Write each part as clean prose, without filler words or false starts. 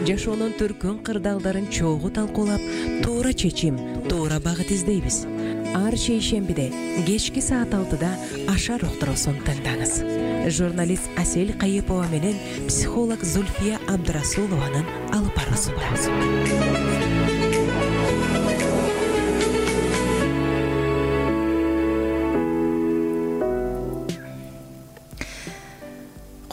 жашоонун төркүн кырдаалдарын чогуу талкуулап, туура чечим, туура багыт издейбиз. Ар шейшембиде кечки саат 6-да Ашар уктуруусун тыңдаңыз. Журналист Асель Кайыпова менен психолог Зульфия Абдрасулованын алып баруусунда.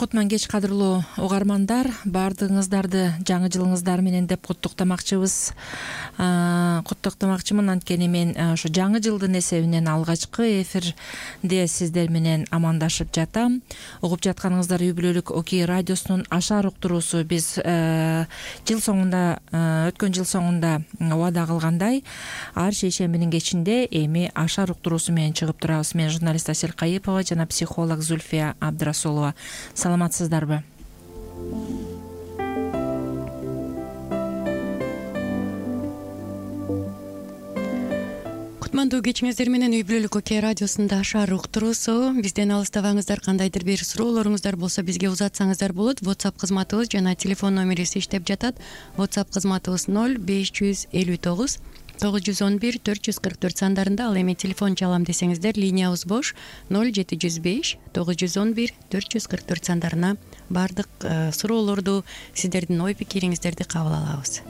Кутман кеч кадырлуу угармандар, баардыгыңыздарды жаңы жылыңыздар менен деп куттуктамакчыбыз. Куттуктамакчымын, анткени мен ошо жаңы жылдын эсебинен алгачкы эфирде сиздер менен амандашып жатам. Угуп жатканыңыздар үй-бүлөлүк Окей радиосунун Ашар уктуруусу. Биз жыл соңунда, өткөн жыл соңунда убада кылгандай, ар шейшембинин кечинде эми Ашар уктуруусу менен чыгып турабыз. Мен журналист Асель Кайыпова жана психолог Зульфия Абдрасулова. Саламатсыздарбы? Кутмандуу кечиңиздер менен үй-бүлөлүк Окей радиосунда Ашар уктуруусу. Бизден алыстабаңыздар, кандайдыр бир суроолоруңуздар болсо бизге узатсаңыздар болот. WhatsApp кызматыбыз жана телефон номерибиз иштеп жатат. WhatsApp кызматыбыз 0559 911 444 сандарында. Ал эми телефон чалам десеңиздер, линиябыз бош 0705 911 444 сандарына бардык суроолорду, сиздердин ой пикириңиздерди кабыл алабыз.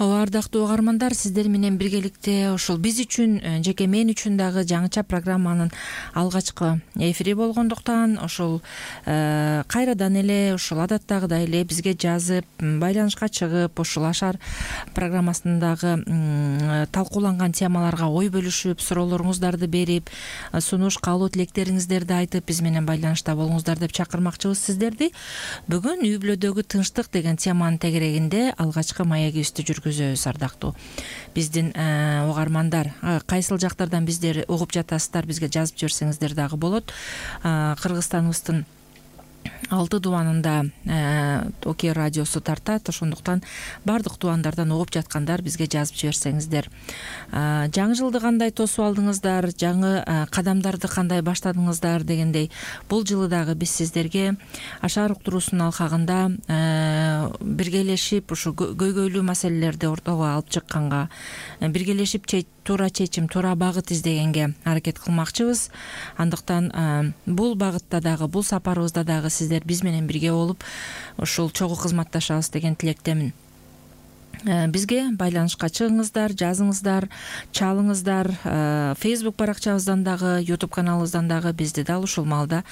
Ардактуу угармандар, сиздер менен биргеликте ушул биз үчүн, жеке мен үчүн дагы жаңыча программанын алгачкы эфири болгондуктан ушул кайрадан эле ушул адаттагыдай эле бизге жазып, байланышка чыгып, ушул Ашар программасындагы талкууланган темаларга ой бөлүшүп, суроолоруңуздарды берип, сунуш, каалоо тилектериңиздерди айтып, биз менен байланышта болуңуздар деп чакырмакчыбыз сиздерди. Бүгүн үй-бүлөдөгү тынчтык деген теманын тегерегинде алгачкы маегибизди жүргүзөбүз. Ардактуу биздин угармандар, кайсыл жактардан биздер угуп жатасыздар, бизге жазып жиберсеңиздер дагы болот. Кыргызстаныбыздын 6 дубанында Окей радиосу тартат, ошондуктан бардык дубандардан угуп жаткандар бизге жазып жиберсеңиздер. Жаңы жылды кандай тосуп алдыңыздар, жаңы кадамдарды кандай баштадыңыздар дегендей, бул жылы дагы биз сиздерге Ашар уктуруусунун алкагында биргелешип ушу көйгөйлүү маселелерди ортого алып чыкканга, биргелешип туура чечим, туура багыт издегенге аракет кылмакчыбыз. Андыктан бул багытта дагы, бул сапарыбызда дагы сиздер биз менен бирге болуп ушул чогуу кызматташабыз деген тилектемин. Бизге байланышка чыгыңыздар, жазыңыздар, чалыңыздар. Facebook баракчабыздан дагы, YouTube каналыбыздан дагы бизди дал ушул маалда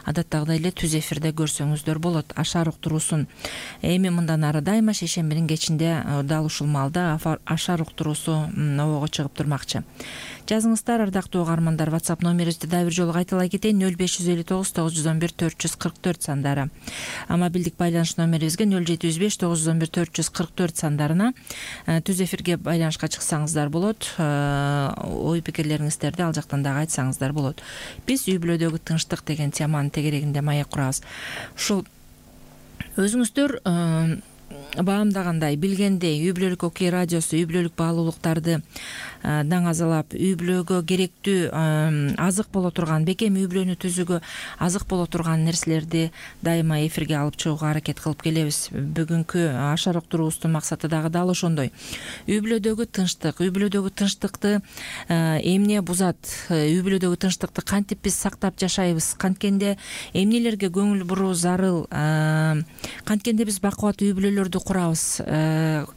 адаттагыдай эле түз эфирде көрсөңүздөр болот. Ашар уктуруусун эми мындан ары дайыма шейшембинин кечинде дал ушул маалда Ашар уктуруусу обого чыгып турмакчы. Жазыңыздар, ардактуу угармандар. WhatsApp номерибизди дагы бир жолу кайталай кетейин: 0559 911 444 сандары. Мобилдик байланыш номерибизге 0705 911 444 сандарына түз эфирге байланышка чыксаңыздар болот. Ой пикирлериңиздерди ал жактан дагы айтсаңыздар болот. Биз үй-бүлөдөгү тынчтык деген теманын тегерегинде маек курабыз. Ушул өзүңүздөр баамдагандай, билгендей, үй-бүлөлүк Окей радиосу үй-бүлөлүк баалуулуктарды даңазалап, үй-бүлөгө керектүү азык боло турган, бекем үй-бүлөнү түзүүгө азык боло турган нерселерди дайыма эфирге алып чыгууга аракет кылып келебиз. Бүгүнкү Ашар уктуруубуздун максаты дагы дал ошондой. Үй-бүлөдөгү тынчтык, үй-бүлөдөгү тынчтыкты эмне бузат, үй-бүлөдөгү тынчтыкты кантип биз сактап жашайбыз, канткенде эмнелерге көңүл буруу зарыл, канткенде биз бакубат үй-бүлөлөрдү курабыз,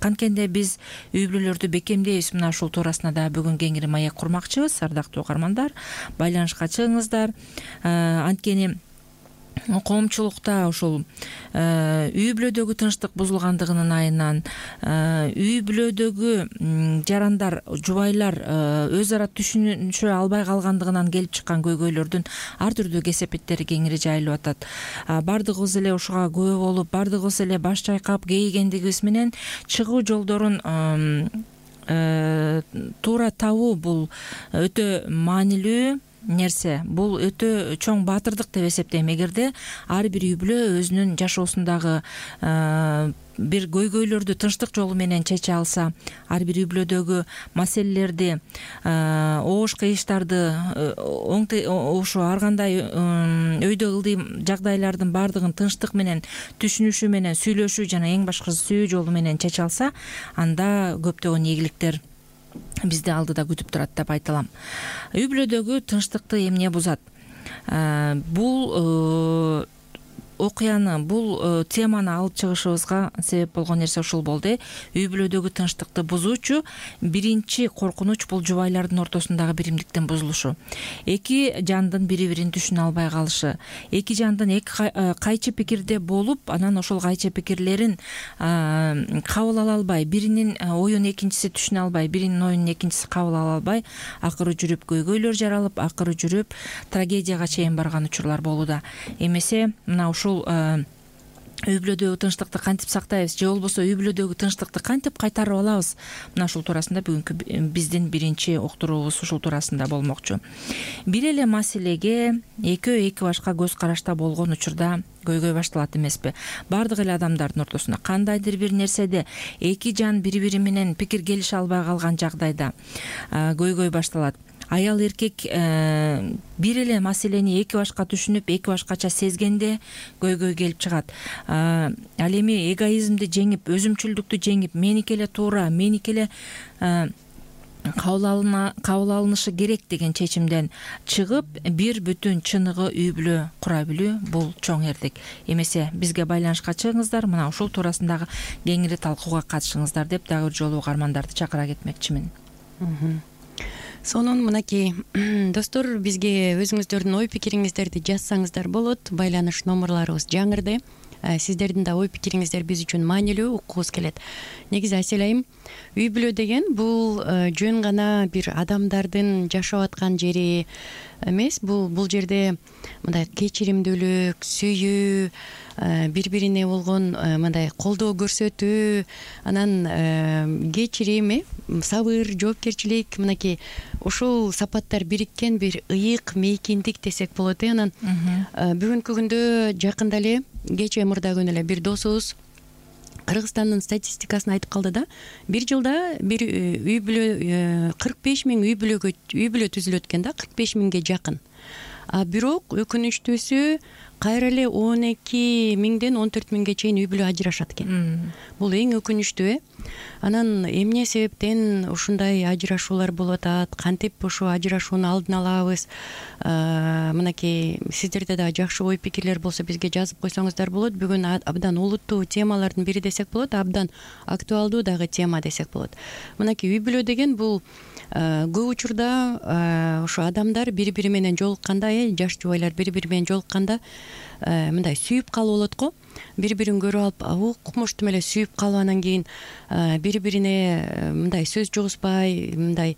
канткенде биз үй-бүлөлөрдү бекемдейбиз. Мына ушул туурасында да бүгүн кеңири маек курмакчыбыз. Ардактуу угармандар, байланышка чыгыңыздар. Анткени коомчулукта ушул үй-бүлөдөгү тынчтык бузулгандыгынын айынан, үй-бүлөдөгү жарандар, жубайлар өз ара түшүнүшө албай калгандыгынан келип чыккан көйгөйлөрдүн ар түрдүү кесепеттери кеңири жайылып атат. Бардыгыбыз эле ушуга күбө болуп, бардыгыбыз эле баш чайкап кейигендигибиз менен чыгуу жолдорун туура табуу бул өтө маанилүү. нерсе, бул өтө чоң баатырдык деп эсептейм. Эгерде ар бир үй бүлө өзүнүн жашоосундагы бир көйгөйлөрдү тынчтык жолу менен чече алса, ар бир үй бүлөдөгү маселелерди, оош кыйыштарды ошо ар кандай өйдө ылдый жагдайлардын баардыгын тынчтык менен, түшүнүшү менен, сүйлөшүү жана эң башкысы сүйүү жолу менен чече алса, анда көптөгөн ийгиликтер бизди алдыда күтүп турат деп айта алам. Үй бүлөдөгү тынчтыкты эмне бузат? Бул окуяны, бул теманы алып чыгышыбызга себеп болгон нерсе ушул болду. Үй бүлөдөгү тынчтыкты бузуучу биринчи коркунуч бул жубайлардын ортосундагы биримдиктин бузулушу. Эки жандын бири-бирин түшүнө албай калышы, эки жандын кайчы пикирде болуп, анан ошол кайчы пикирлерин кабыл ала албай, биринин оюн экинчиси түшүнө албай, биринин оюн экинчиси кабыл ала албай, акыры жүрүп көйгөйлөр жаралып, акыры жүрүп трагедияга чейин барган учурлар болууда. Эмесе мына ушул үй бүлөдөгү тынчтыкты кантип сактайбыз, же болбосо үй бүлөдөгү тынчтыкты кантип кайтарып алабыз? Мына ушул туурасында бүгүнкү биздин биринчи уктуруубуз ушул туурасында болмокчу. Бир эле маселеге экөө эки башка көз карашта болгон учурда көйгөй башталат эмеспи? Баардык эле адамдардын ортосунда кандайдыр бир нерседе эки жан бири-бири менен пикир келише албай калган жагдайда көйгөй башталат. Аял эркек бир эле маселени эки башка түшүнүп, эки башкача сезгенде көйгөй келип чыгат. Ал эми эгоизмди жеңип, өзүмчүлдүктү жеңип, меники эле туура, меники эле кабыл алынышы керек деген чечимден чыгып, бир бүтүн чыныгы үй бүлө кура билүү бул чоң эрдик. Эмесе бизге байланышка чыгыңыздар, мына ушул туурасындагы кеңири талкууга катышыңыздар деп дагы бир жолу угармандарды чакыра кетмекчимин. Сонун мынакей достор, бизге өзүңүздөрдүн ой пикириңиздерди жазсаңыздар болот. Байланыш номерларыбыз жаңырды. Сиздердин да ой пикириңиздер биз үчүн маанилүү, уккубуз келет. Негизи Асель айым, үй бүлө деген бул жөн гана бир адамдардын жашап аткан жери эмес. Бул жерде мындай кечиримдүүлүк, сүйүү, бири-бирине болгон мындай колдоо көрсөтүү, анан кечирим, сабыр, жоопкерчилик, мынакей ушул сапаттар бириккен бир ыйык мейкиндик десек болот. Анан бүгүнкү күндө жакында эле, кечээ мурда күнү эле бир досубуз Кыргызстандын статистикасын айтып калды да, бир жылда бир үй бүлө 45 000 үй бүлө түзүлөт экен да, 45 000ге жакын. Бирок өкүнүчтүүсү кайра эле 12 000ден 14 000ге чейин үй бүлө ажырашат экен. Бул эң өкүнүчтүү. Анан эмне себептен ушундай ажырашуулар болуп атат, кантип ошо ажырашууну алдын алабыз? Мынакей сиздерде да жакшы ой пикирлер болсо бизге жазып койсоңуздар болот. Бүгүн абдан улуттуу темалардын бири десек болот, абдан актуалдуу дагы тема десек болот. Мынакей үй бүлө деген бул көп учурда ошо адамдар бири-бири менен жолукканда, жаш жубайлар бири-бири менен жолукканда мындай сүйүп калып болот го. Бири-бирин көрүп алып, укмуштум эле сүйүп калып, анан кийин бири-бирине мындай сөз жугузбай, мындай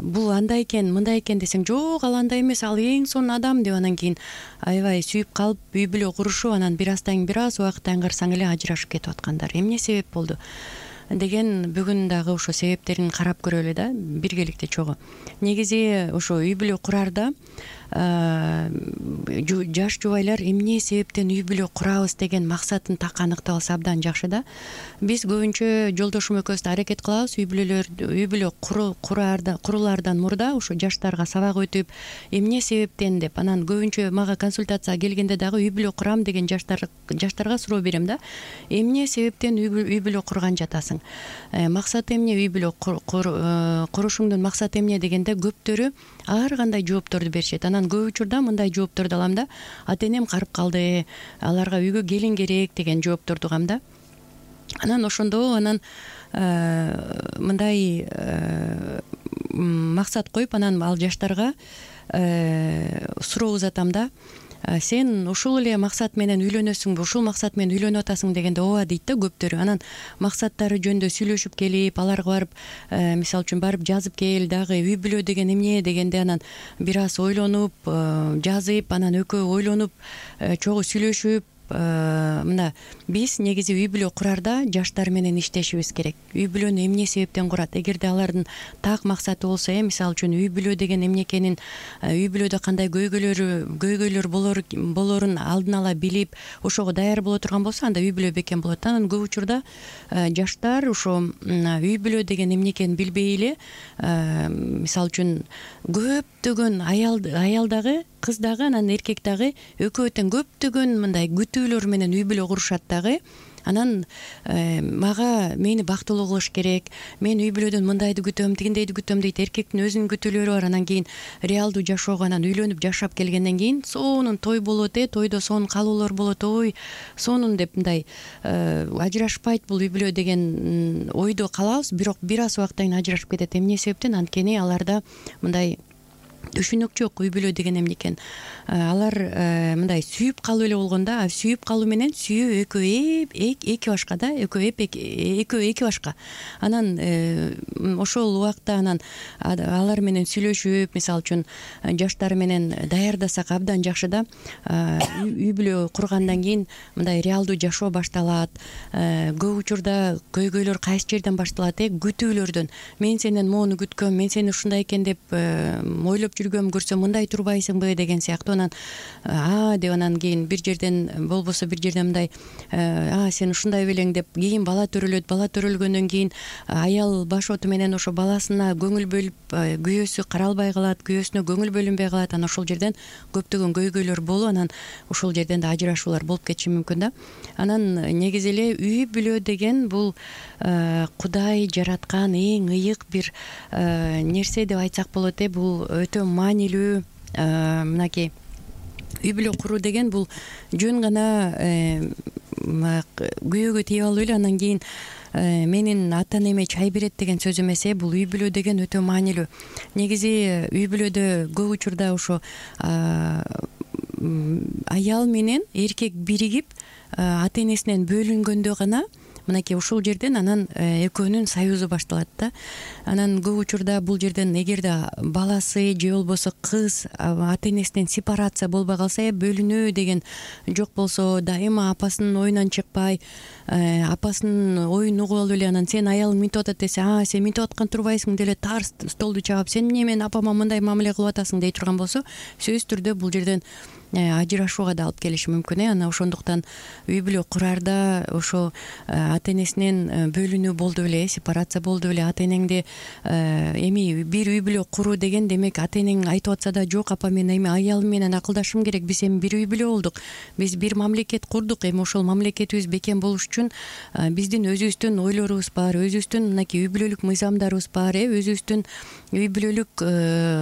бул андай экен, мындай экен десең, жок, ал андай эмес, ал эң сонун адам деп, анан кийин аябай сүйүп калып, үй бүлө курушуп, анан бир убакыттан карасаң эле ажырашып кетип аткандар. Эмне себеп болду деген бүгүн дагы ошо себептерин карап көрөлү да, биргеликте чогуу. Негизи ошо үй бүлө курарда жаш жубайлар эмне себептен үй бүлө курабыз деген максатын так аныктап алса абдан жакшы да. Биз көбүнчө жолдошум экөөбүз да аракет кылабыз үй бүлө курулаардан мурда ошо жаштарга сабак өтүп, эмне себептен деп. Анан көбүнчө мага консультацияга келгенде дагы үй бүлө курам деген жаштарга суроо берем да. Эмне себептен үй бүлө курган жатасың? Максаты эмне үй бүлө курушуңдун максаты эмне дегенде көптөрү ар кандай жоопторду беришет. Анан көп учурда мындай жоопторду алам да, ата энем карып калды, аларга үйгө келин керек деген жоопторду угам да. Анан ошондо мындай максат коюп, анан ал жаштарга суроо узатам да. Сен ушул эле максат менен үйлөнөсүңбү, ушул максат менен үйлөнүп атасың дегенде ооба дейт да көптөрү. Анан максаттары жөнүндө сүйлөшүп келип, аларга барып, мисалы үчүн барып жазып кел, дагы үй бүлө деген эмне дегенде анан бир аз ойлонуп, жазып, анан экөө ойлонуп, чогуу сүйлөшүп, мына биз негизи үй бүлө курарда жаштар менен иштешибиз керек. Үй бүлөнү эмне себептен курат? Эгерде алардын так максаты болсо, мисалы үчүн үй бүлө деген эмне экенин, үй бүлөдө кандай көйгөйлөр болорун алдын ала билип, ошого даяр боло турган болсо, анда үй бүлө бекем болот. Анан көп учурда жаштар ошо үй бүлө деген эмне экенин билбей эле, мисалы үчүн көптөгөн аял дагы, кыз дагы, анан эркек дагы экөө тең көптөгөн мындай күтүүлөр менен үй бүлө курушат дагы. Анан мени бактылуу кылыш керек, мен үй бүлөдөн мындайды күтөм, тигиндейди күтөм дейт. Эркектин өзүнүн күтүүлөрү бар. Анан кийин реалдуу жашоого анан үйлөнүп жашап келгенден кийин сонун той болот, тойдо сонун калуулар болот, ой сонун деп мындай ажырашпайт бул үй бүлө деген ойдо калабыз. Бирок бир аз убакыттан кийин ажырашып кетет. Эмне себептен? Анткени аларда мындай түшүнүк жок үй бүлө деген эмне экен. Алар мындай сүйүп калуу эле болгондо, сүйүп калуу менен сүйүү экөө эки башка да, экөө эки башка. Анан ошол убакта анан алар менен сүйлөшүп, мисалы үчүн жаштар менен даярдасак абдан жакшы да. Үй бүлө кургандан кийин мындай реалдуу жашоо башталат. Көп учурда көйгөйлөр кайсы жерден башталат? Күтүүлөрдөн. Мен сенен моуну күткөм, мен сени ушундай экен деп ойлоп жүргөм, көрсөм мындай турбайсыңбы деген сыяктуу. Анан деп анан кийин бир жерден болбосо бир жерден мындай сен ушундай белең деп кийин бала төрөлөт. Бала төрөлгөндөн кийин аял башоту менен ошо баласына көңүл бөлүп, күйөөсү каралбай калат, күйөөсүнө көңүл бөлүнбөй калат. Анан ошол жерден көптөгөн көйгөйлөр болуп, анан ошол жерден да ажырашуулар болуп кетиши мүмкүн да. Анан негизи эле үй бүлө деген бул Кудай жараткан эң ыйык бир нерсе деп айтсак болот. Бул өтө маанилүү. Мынакей үй бүлө куруу деген бул жөн гана күйөөгө тийип алып эле анан кийин менин ата энеме чай берет деген сөз эмес. Бул үй бүлө деген өтө маанилүү. Негизи үй бүлөдө көп учурда ошо аял менен эркек биригип ата энесинен бөлүнгөндө гана мынакей ушул жерден анан экөөнүн союзу башталат да. Анан көп учурда бул жерден эгерде баласы же болбосо кыз ата энесинен сепарация болбой калса, бөлүнүү деген жок болсо, дайыма апасынын оюнан чыкпай, апасынын оюн угуп алып эле анан сен аялың минтип атат десе, сен минтип аткан турбайсың деле тарс столду чаап, сен эмне менин апама мындай мамиле кылып атасың дей турган болсо, сөзсүз түрдө бул жерден ажырашууга да алып келиши мүмкүн. Анан ошондуктан үй бүлө курарда ошо ата энесинен бөлүнүү болду беле, сепарация болду беле, ата энеңди эми бир үй бүлө куруу деген демек ата энең айтып атса да, жок апа мен эми аялым менен акылдашышым керек, биз эми бир үй бүлө болдук, биз бир мамлекет курдук, эми ошол мамлекетибиз бекем болуш үчүн биздин өзүбүздүн ойлорубуз бар, өзүбүздүн мынакей үй бүлөлүк мыйзамдарыбыз бар, өзүбүздүн үй бүлөлүк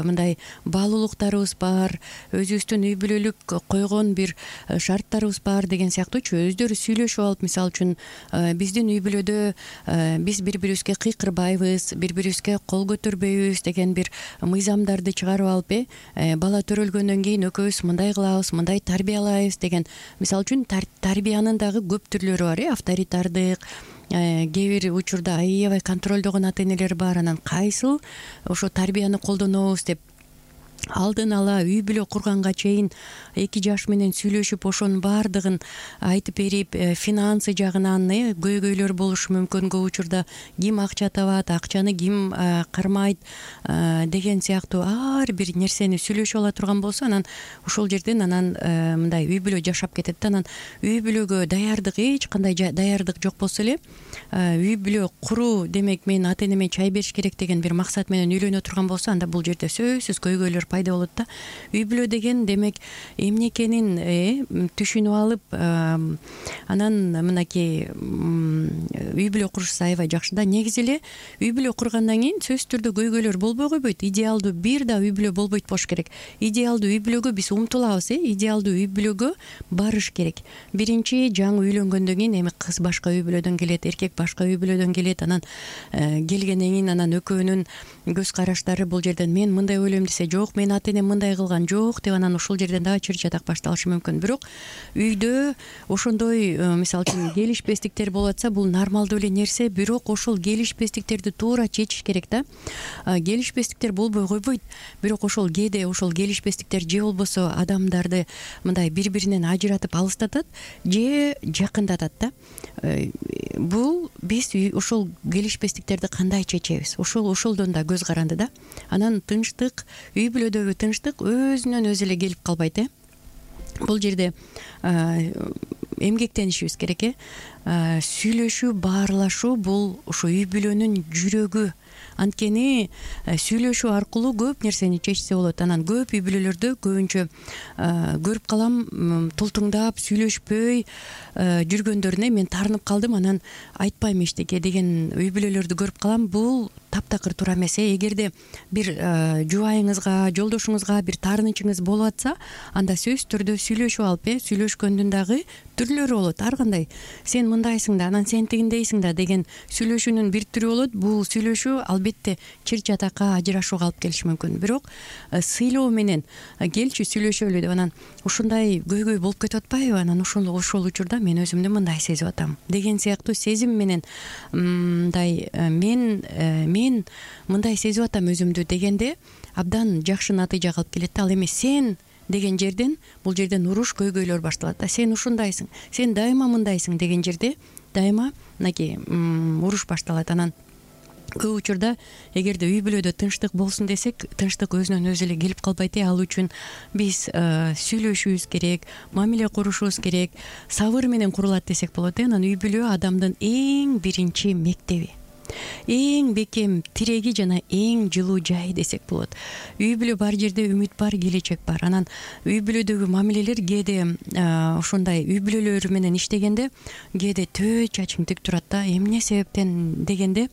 мындай баалуулуктарыбыз бар, өзүбүздүн үй бүлөлүк койгон бир шарттарыбыз бар деген сыяктуучу өздөрү сүйлөшүп алып, мисалы үчүн биздин үй бүлөдө биз бири бирибизге кыйкырбайбыз, бири бирибизге кол көтөрбөйбүз деген бир мыйзамдарды чыгарып алып, бала төрөлгөндөн кийин экөөбүз мындай кылабыз, мындай тарбиялайбыз деген. Мисалы үчүн тарбиянын дагы көп түрлөрү бар, авторитардык, кээ бир учурда аябай контролдогон ата энелер бар. Анан кайсыл ошо тарбияны колдонобуз деп алдын ала үй бүлө курганга чейин 2 жаш менен сүйлөшүп ошонун баардыгын айтып берип, финансы жагынан көйгөйлөр болушу мүмкүн. Көп учурда ким акча табат, акчаны ким кармайт деген сыяктуу ар бир нерсени сүйлөшүп ала турган болсо, анан ошол жерден анан мындай үй бүлө жашап кетет да. Анан үй бүлөгө даярдык, эч кандай даярдык жок болсо эле үй бүлө куруу демек мен ата энеме чай бериш керек деген бир максат менен үйлөнө турган болсо, анда бул жерде сөзсүз көйгөйлөр пайда болот да. Үй бүлө деген демек эмне экенин түшүнүп алып, анан мынакей үй бүлө куруш аябай жакшы да. Негизи эле үй бүлө кургандан кийин сөзсүз түрдө көйгөйлөр болбой койбойт. Идеалдуу бир да үй бүлө болбойт болуш керек. Идеалдуу үй бүлөгө биз умтулабыз, идеалдуу үй бүлөгө барыш керек. Биринчи жаңы үйлөнгөндөн кийин эми кыз башка үй бүлөдөн келет, эркек башка үй бүлөдөн келет. Анан келгенден кийин анан экөөнүн көз караштары бул жерден мен мындай ойлойм десе, жок менин ата энем мындай кылган жок деп анан ушул жерден дагы чыр чатак башталышы мүмкүн. Бирок үйдө ошондой мисалы үчүн келишпестиктер болуп атса, бул нормалдуу эле нерсе, бирок ошол келишпестиктерди туура чечиш керек да. Келишпестиктер болбой койбойт, бирок ошол кээде ошол келишпестиктер же болбосо адамдарды мындай бири-биринен ажыратып алыстатат же жакындатат да. Бул биз ошол келишпестиктерди кандай чечебиз? Ошолдон да көз каранды да. Анан тынчтык, үй бүлөдөгү тынчтык өзүнөн өзү эле келип калбайт. Бул жерде эмгектенишибиз керек. Сүйлөшүү, баарлашуу бул ошо үй бүлөнүн жүрөгү. Анткени сүйлөшүү аркылуу көп нерсени чечсе болот. Анан көп үй бүлөлөрдө көбүнчө көрүп калам, тултуңдап сүйлөшпөй жүргөндөрүнө мен таарынып калдым, анан айтпайм эчтеке деген үй бүлөлөрдү көрүп калам. Бул таптакыр туура эмес. Эгерде бир жубайыңызга, жолдошуңузга бир таарынычыңыз болуп атса, анда сөзсүз түрдө сүйлөшүп алып, сүйлөшкөндүн дагы түрлөрү болот. Ар кандай сен мындайсың да, анан сен тигиндейсиң да деген сүйлөшүүнүн бир түрү болот. Бул сүйлөшүү албетте чыр чатакка, ажырашууга алып келиши мүмкүн. Бирок сыйлоо менен келчи сүйлөшөлү деп анан ушундай көйгөй болуп кетип атпайбы? Анан ошол учурда мен өзүмдү мындай сезип атам деген сыяктуу сезим менен мындай мен мындай сезип атам өзүмдү дегенде абдан жакшы натыйжага алып келет. Ал эми сен деген жерден, бул жерден уруш, көйгөйлөр башталат да. Сен ушундайсың, сен дайыма мындайсың деген жерде дайыма мынакей уруш башталат. Анан көп учурда эгерде үй бүлөдө тынчтык болсун десек, тынчтык өзүнөн өзү эле келип калбайт. Ал үчүн биз сүйлөшүүбүз керек, мамиле курушубуз керек, сабыр менен курулат десек болот. Анан үй бүлө адамдын эң биринчи мектеби, эң бекем тиреги жана эң жылуу жайы десек болот. Үй бүлө бар жерде үмүт бар, келечек бар. Анан үй бүлөдөгү мамилелер кээде ошондой үй бүлөлөр менен иштегенде кээде төө чачың тик турат да. Эмне себептен дегенде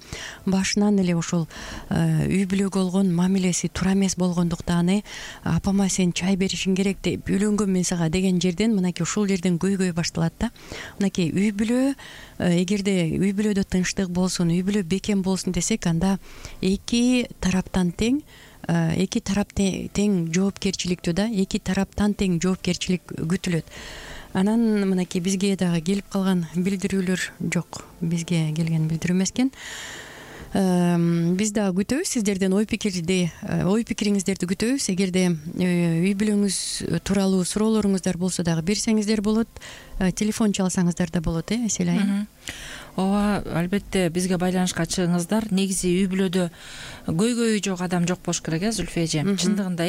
башынан эле ошол үй бүлөгө болгон мамилеси туура эмес болгондуктан апама сен чай беришиң керек деп үйлөнгөм мен сага деген жерден мынакей ушул жерден көйгөй башталат да. Мынакей үй бүлө эгерде үй бүлөдө тынчтык болсун, үй бүлө бекем болсун десек, анда эки тараптан тең жоопкерчиликтүү да, эки тараптан тең жоопкерчилик күтүлөт. Анан мынакей бизге дагы келип калган билдирүүлөр жок, бизге келген билдирүү эмес экен. Биз дагы күтөбүз сиздерден ой пикириңиздерди күтөбүз. Эгерде үй бүлөңүз тууралуу суроолоруңуздар болсо дагы берсеңиздер болот. Телефон чалсаңыздар да болот, Селай. Ооба, албетте бизге байланышка чыгыңыздар. Негизи үй бүлөдө көйгөйү жок адам жок болуш керек, Зүлфия эже. Чындыгында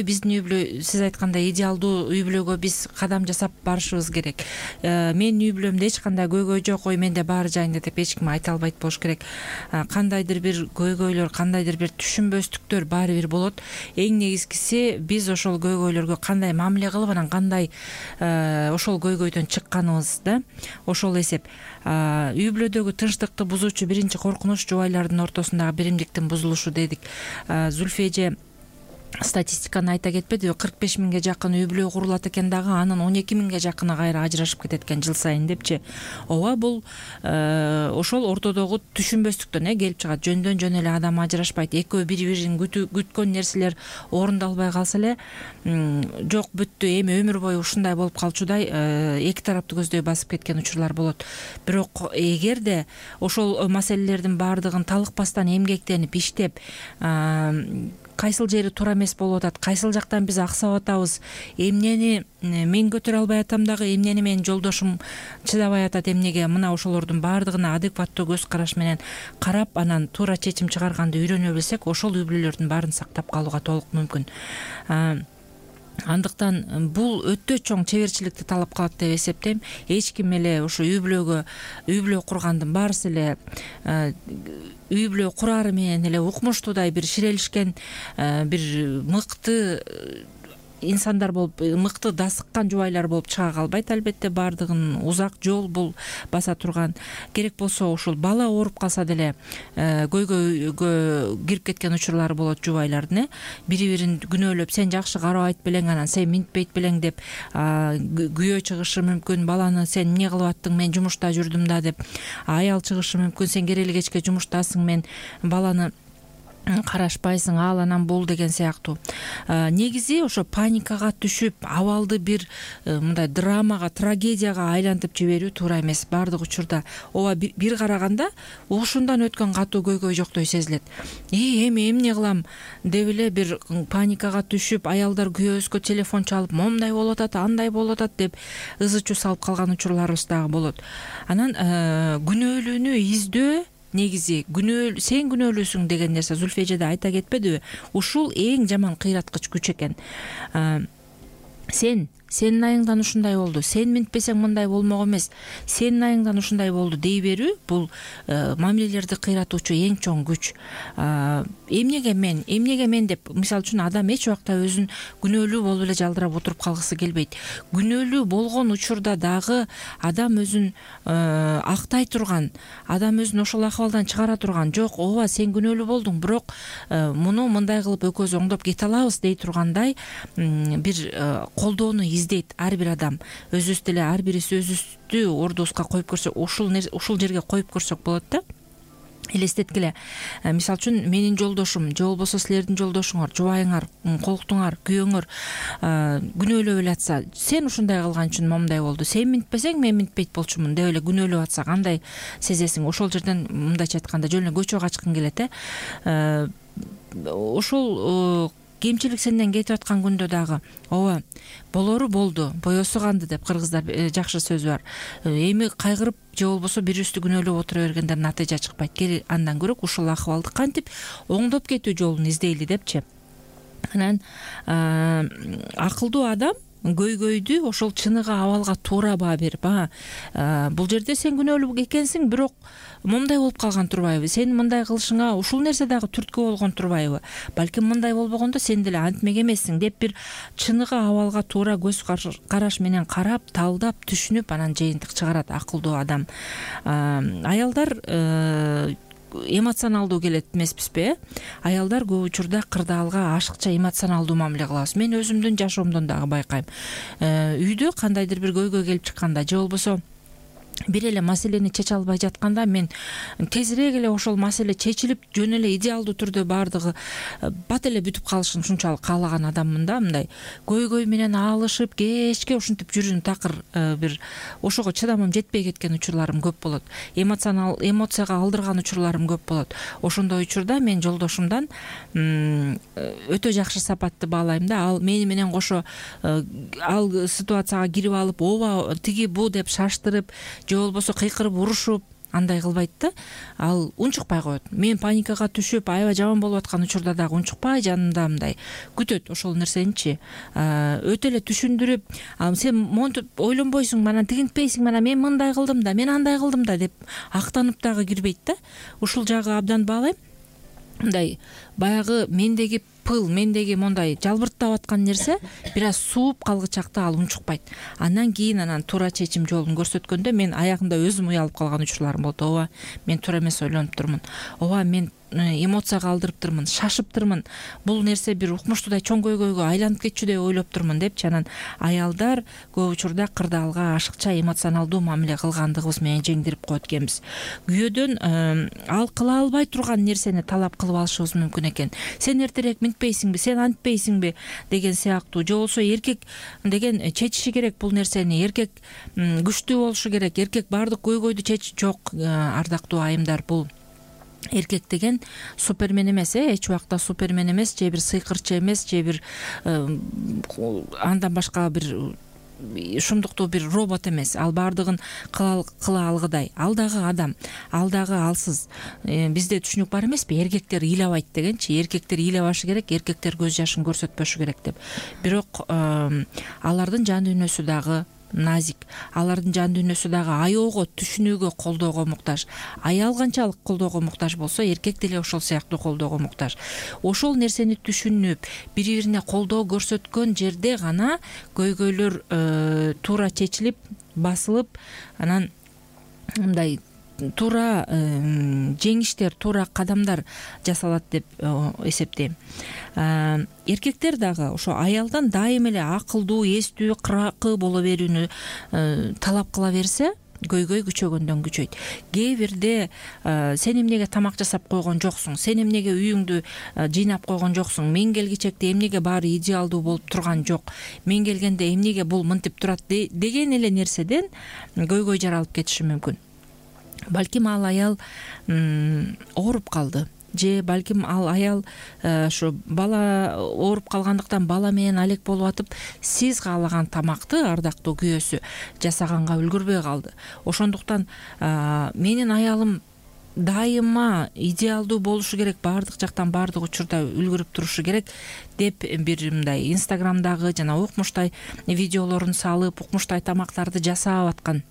биздин үй бүлө, сиз айткандай идеалдуу үй бүлөгө биз кадам жасап барышыбыз керек. Менин үй бүлөмдө эч кандай көйгөй жок, менде баары жайында деп эч ким айта албайт болуш керек. Кандайдыр бир көйгөйлөр, кандайдыр бир түшүнбөстүктөр баары бир болот. Эң негизгиси биз ошол көйгөйлөргө кандай мамиле кылып, анан кандай ошол көйгөйдөн чыкканыбыз да. Ошол эсеп. Үй бүлөдөгү тынчтыкты бузуучу биринчи коркунуч жубайлардын ортосундагы биримдиктин бузулушу дедик. Зүлфия эже статистиканы айта кетпедиби? 45 миңге жакын үй бүлө курулат экен дагы, анын 12 миңге жакыны кайра ажырашып кетет экен жыл сайын депчи. Ооба, бул ошол ортодогу түшүнбөстүктөн келип чыгат. Жөндөн жөн эле адам ажырашпайт. Экөө бири-бирин күткөн нерселер орундалбай калса эле жок бүттү, эми өмүр бою ушундай болуп калчудай эки тарапты көздөй басып кеткен учурлар болот. Бирок эгерде ошол маселелердин баардыгын талыкпастан эмгектенип иштеп, кайсыл жери туура эмес болуп атат, кайсыл жактан биз аксап атабыз, эмнени мен көтөрө албай атам дагы, эмнени менин жолдошум чыдабай атат, эмнеге, мына ошолордун баардыгына адекваттуу көз караш менен карап, анан туура чечим чыгарганды үйрөнө билсек, ошол үй бүлөлөрдүн баарын сактап калууга толук мүмкүн. Андыктан бул өтө чоң чеберчиликти талап кылат деп эсептейм. Эч ким эле ошо үй бүлө кургандын баарысы эле үй бүлө курары менен эле укмуштуудай бир ширелишкен бир мыкты инсандар болуп, мыкты дасыккан жубайлар болуп чыга калбайт. Албетте баардыгын узак жол бул баса турган. Керек болсо ушул бала ооруп калса деле көйгөйгө кирип кеткен учурлары болот жубайлардын. Бири-бирин күнөөлөп, сен жакшы карабайт белең, анан сен минтпейт белең деп күйөө чыгышы мүмкүн. Баланы сен эмне кылып аттың, мен жумушта жүрдүм да деп аял чыгышы мүмкүн. Сен керели кечке жумуштасың, мен баланы карашпайсың, ал анан бул деген сыяктуу. Негизи ошо паникага түшүп, абалды бир мындай драмага, трагедияга айлантып жиберүү туура эмес. Бардык учурда ооба бир караганда ушундан өткөн катуу көйгөй жоктой сезилет. Эми эмне кылам деп эле бир паникага түшүп, аялдар күйөөбүзгө телефон чалып, момундай болуп атат, андай болуп атат деп ызы чуу салып калган учурларыбыз дагы болот. Анан күнөөлүүнү издөө, негизи сен күнөөлүүсүң деген нерсе Зульфия эже да айта кетпедиби? Ушул эң жаман кыйраткыч күч экен. Сенин айыңдан ушундай болду, сен минтпесең мындай болмок эмес, сенин айыңдан ушундай болду дей берүү бул мамилелерди кыйратуучу эң чоң күч. Эмнеге мен деп, мисалы үчүн адам эч убакта өзүн күнөөлүү болуп эле жалдырап отуруп калгысы келбейт. Күнөөлүү болгон учурда дагы адам өзүн актай турган, адам өзүн ошол акыбалдан чыгара турган, жок, ооба сен күнөөлүү болдуң, бирок муну мындай кылып экөөбүз оңдоп кете алабыз дей тургандай бир колдоону издейт ар бир адам. Өзүбүз деле ар бирибиз өзүбүздү ордубузга коюп көрсөк, ушул жерге коюп көрсөк болот да. Элестеткиле, мисалы үчүн менин жолдошум же болбосо силердин жолдошуңар, жубайыңар, колуктуңар, күйөөңөр күнөөлөп эле атса, сен ушундай кылган үчүн момундай болду, сен минтпесең мен минтпейт болчумун деп эле күнөөлөп атса кандай сезесиң? Ошол жерден мындайча айтканда жөн эле көчөгө качкың келет. Ошол кемчилик сенден кетип аткан күндө дагы ооба болору болду, боесу канды деп кыргыздар жакшы сөзү бар. Эми кайгырып же болбосо бирибизди күнөөлөп отура бергенден натыйжа чыкпайт. Андан көрө ушул акыбалды кантип оңдоп кетүү жолун издейли депчи. Анан акылдуу адам көйгөйдү ошол чыныгы абалга туура баа берип, бул жерде сен күнөөлүү экенсиң, бирок момундай болуп калган турбайбы? Сенин мындай кылышыңа ушул нерсе дагы түрткү болгон турбайбы? Балким мындай болбогондо сен деле антмек эмессиң деп бир чыныгы абалга туура көз караш менен карап, талдап, түшүнүп, анан жыйынтык чыгарат акылдуу адам. Аялдар эмоционалдуу келет эмеспизби? Аялдар көп учурда кырдаалга ашыкча эмоционалдуу мамиле кылабыз. Мен өзүмдүн жашоомдон дагы байкайм. Үйдө кандайдыр бир көйгөй келип чыкканда же болбосо бир эле маселени чече албай жатканда мен тезирээк эле ошол маселе чечилип жөн эле идеалдуу түрдө баардыгы бат эле бүтүп калышын ушунчалык каалаган адаммын да. Мындай көйгөй менен алышып кечке ушинтип жүрүүнү такыр бир ошого чыдамым жетпей кеткен учурларым көп болот. Эмоцияга алдырган учурларым көп болот. Ошондой учурда мен жолдошумдан өтө жакшы сапатты баалайм да. Ал мени менен кошо ал ситуацияга кирип алып, ооба тиги бу деп шаштырып же болбосо кыйкырып урушуп андай кылбайт да. Ал унчукпай коет. Мен паникага түшүп, аябай жаман болуп аткан учурда дагы унчукпай жанымда мындай күтөт ошол нерсеничи. Өтө эле түшүндүрүп, сен монтип ойлонбойсуң, мана тигинтпейсиң, мана мен мындай кылдым да, мен андай кылдым да деп актанып дагы кирбейт да. Ушул жагы абдан баалайм. Мындай баягы мендеги пыл, мендеги мондай жалбырттап аткан нерсе бир аз сууп калгычакта ал унчукпайт. Андан кийин туура чечим жолун көрсөткөндө мен аягында өзүм уялып калган учурларым болду. Ооба, мен туура эмес ойлонуп турмун. Ооба, мен эмоцияга алдырыптырмын, шашыптырмын. Бул нерсе бир укмуштуудай чоң көйгөйгө айланып кетчү деп ойлоп турмун депчи. Анан аялдар көп учурда кырдаалга ашыкча эмоционалдуу мамиле кылгандыгыбыз менен жеңдирип коет экенбиз. Күйөөдөн ал кыла албай турган нерсени талап кылып алышыбыз мүмкүн экен. Сен эртерээк минтпейсиңби, сен антпейсиңби деген сыяктуу. Же болбосо эркек деген чечиши керек бул нерсени, эркек күчтүү болушу керек, эркек баардык көйгөйдү жок, ардактуу айымдар, бул эркек деген супермен эмес, эч убакта супермен эмес, же бир сыйкырчы эмес, же бир андан башка бир ушундуктуу бир робот эмес. Ал баардыгын кыла алгыдай. Ал дагы адам, ал дагы алсыз. Бизде түшүнүк бар эмеспи? Эркектер ыйлабайт дегенчи. Эркектер ыйлабашы керек, эркектер көз жашын көрсөтпөшү керек деп. Бирок алардын жан дүйнөсү дагы назик, алардын жан дүйнөсү дагы аyoого, түшүнүүгө, колдоого муктаж. Аял канчалык колдоого муктаж болсо, эркек деле ошол сыяктуу колдоого муктаж. Ошол нерсени түшүнүп, бири-бирине колдоо көрсөткөн жерде гана көйгөйлөр туура чечилип, басылып, анан мындай туура жеңиштер, туура кадамдар жасалат деп эсептейм. Эркектер дагы ошо аялдан дайым эле акылдуу, эстүү, кыракы боло берүүнү талап кыла берсе, көйгөй күчөгөндөн күчөйт. Кээ бирде сен эмнеге тамак жасап койгон жоксуң, сен эмнеге үйүңдү жыйнап койгон жоксуң, мен келгичекте эмнеге баары идеалдуу болуп турган жок, мен келгенде эмнеге бул мынтип турат деген эле нерседен көйгөй жаралып кетиши мүмкүн. Балким ал аял ооруп калды, же балким ал аял ушу бала ооруп калгандыктан бала менен алек болуп атып, сиз каалаган тамакты ардактуу күйөөсү жасаганга үлгүрбөй калды. Ошондуктан менин аялым дайыма идеалдуу болушу керек, баардык жактан баардык учурда үлгүрүп турушу керек деп бир мындай инстаграмдагы жана укмуштай видеолорун салып, укмуштай тамактарды жасап аткан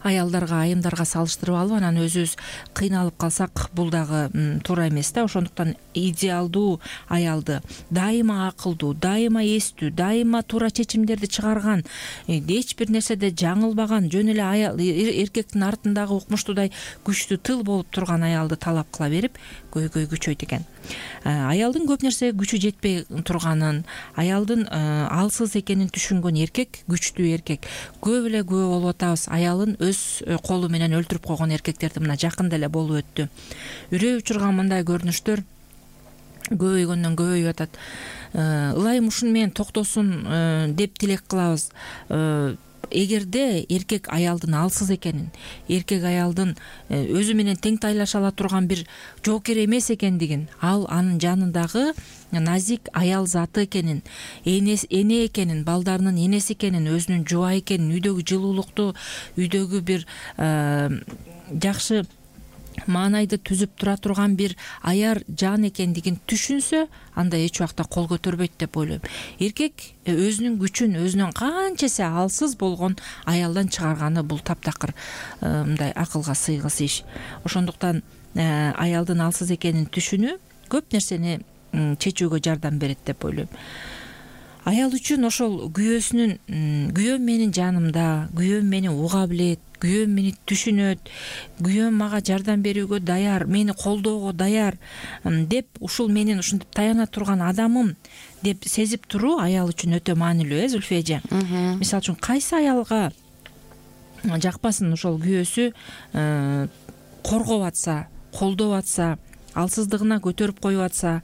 аялдарга, айымдарга салыштырып алып, анан өзүбүз кыйналып калсак, бул дагы туура эмес да. Ошондуктан идеалдуу аялды, дайыма акылдуу, дайыма эстүү, дайыма туура чечимдерди чыгарган, эч бир нерседе жаңылбаган, жөн эле аял эркектин артындагы укмуштуудай күчтүү тыл болуп турган аялды талап кыла берип, көйгөй күчөйт экен. Аялдын көп нерсеге күчү жетпей турганын, аялдын алсыз экенин түшүнгөн эркек, күчтүү эркек көп эле күбө болуп атабыз. Аялын өз колу менен өлтүрүп койгон эркектерди мына жакында эле болуп өттү. Үрөй учурган мындай көрүнүштөр көбөйгөндөн көбөйүп атат. Ылайым ушуну менен токтосун деп тилек кылабыз. Эгерде эркек аялдын алсыз экенин, эркек аялдын өзү менен тең тайлаша ала турган бир жоокер эмес экендигин, ал анын жанындагы назик аял заты экенин, эне экенин, балдарынын энеси экенин, өзүнүн жубайы экенин, үйдөгү жылуулукту, үйдөгү бир жакшы маанайды түзүп тура турган бир аяр жан экендигин түшүнсө, анда эч убакта кол көтөрбөйт деп ойлойм. Эркек өзүнүн күчүн, өзүнөн канчасы алсыз болгон аялдан чыгарганы бул таптакыр мындай акылга сыйгыс иш. Ошондуктан аялдын алсыз экенин түшүнүү көп нерсени чечүүгө жардам берет деп ойлойм. Аял үчүн ошол күйөөм менин жанымда, күйөөм мени уга билет, күйөөм мени түшүнөт, күйөөм мага жардам берүүгө даяр, мени колдоого даяр деп, ушул менин ушинтип таяна турган адамым деп сезип туруу аял үчүн өтө маанилүү, Зульфия эже. Мисалы үчүн кайсы аялга жакпасын ошол күйөөсү коргоп атса, колдоп атса, алсыздыгына көтөрүп коюп атса,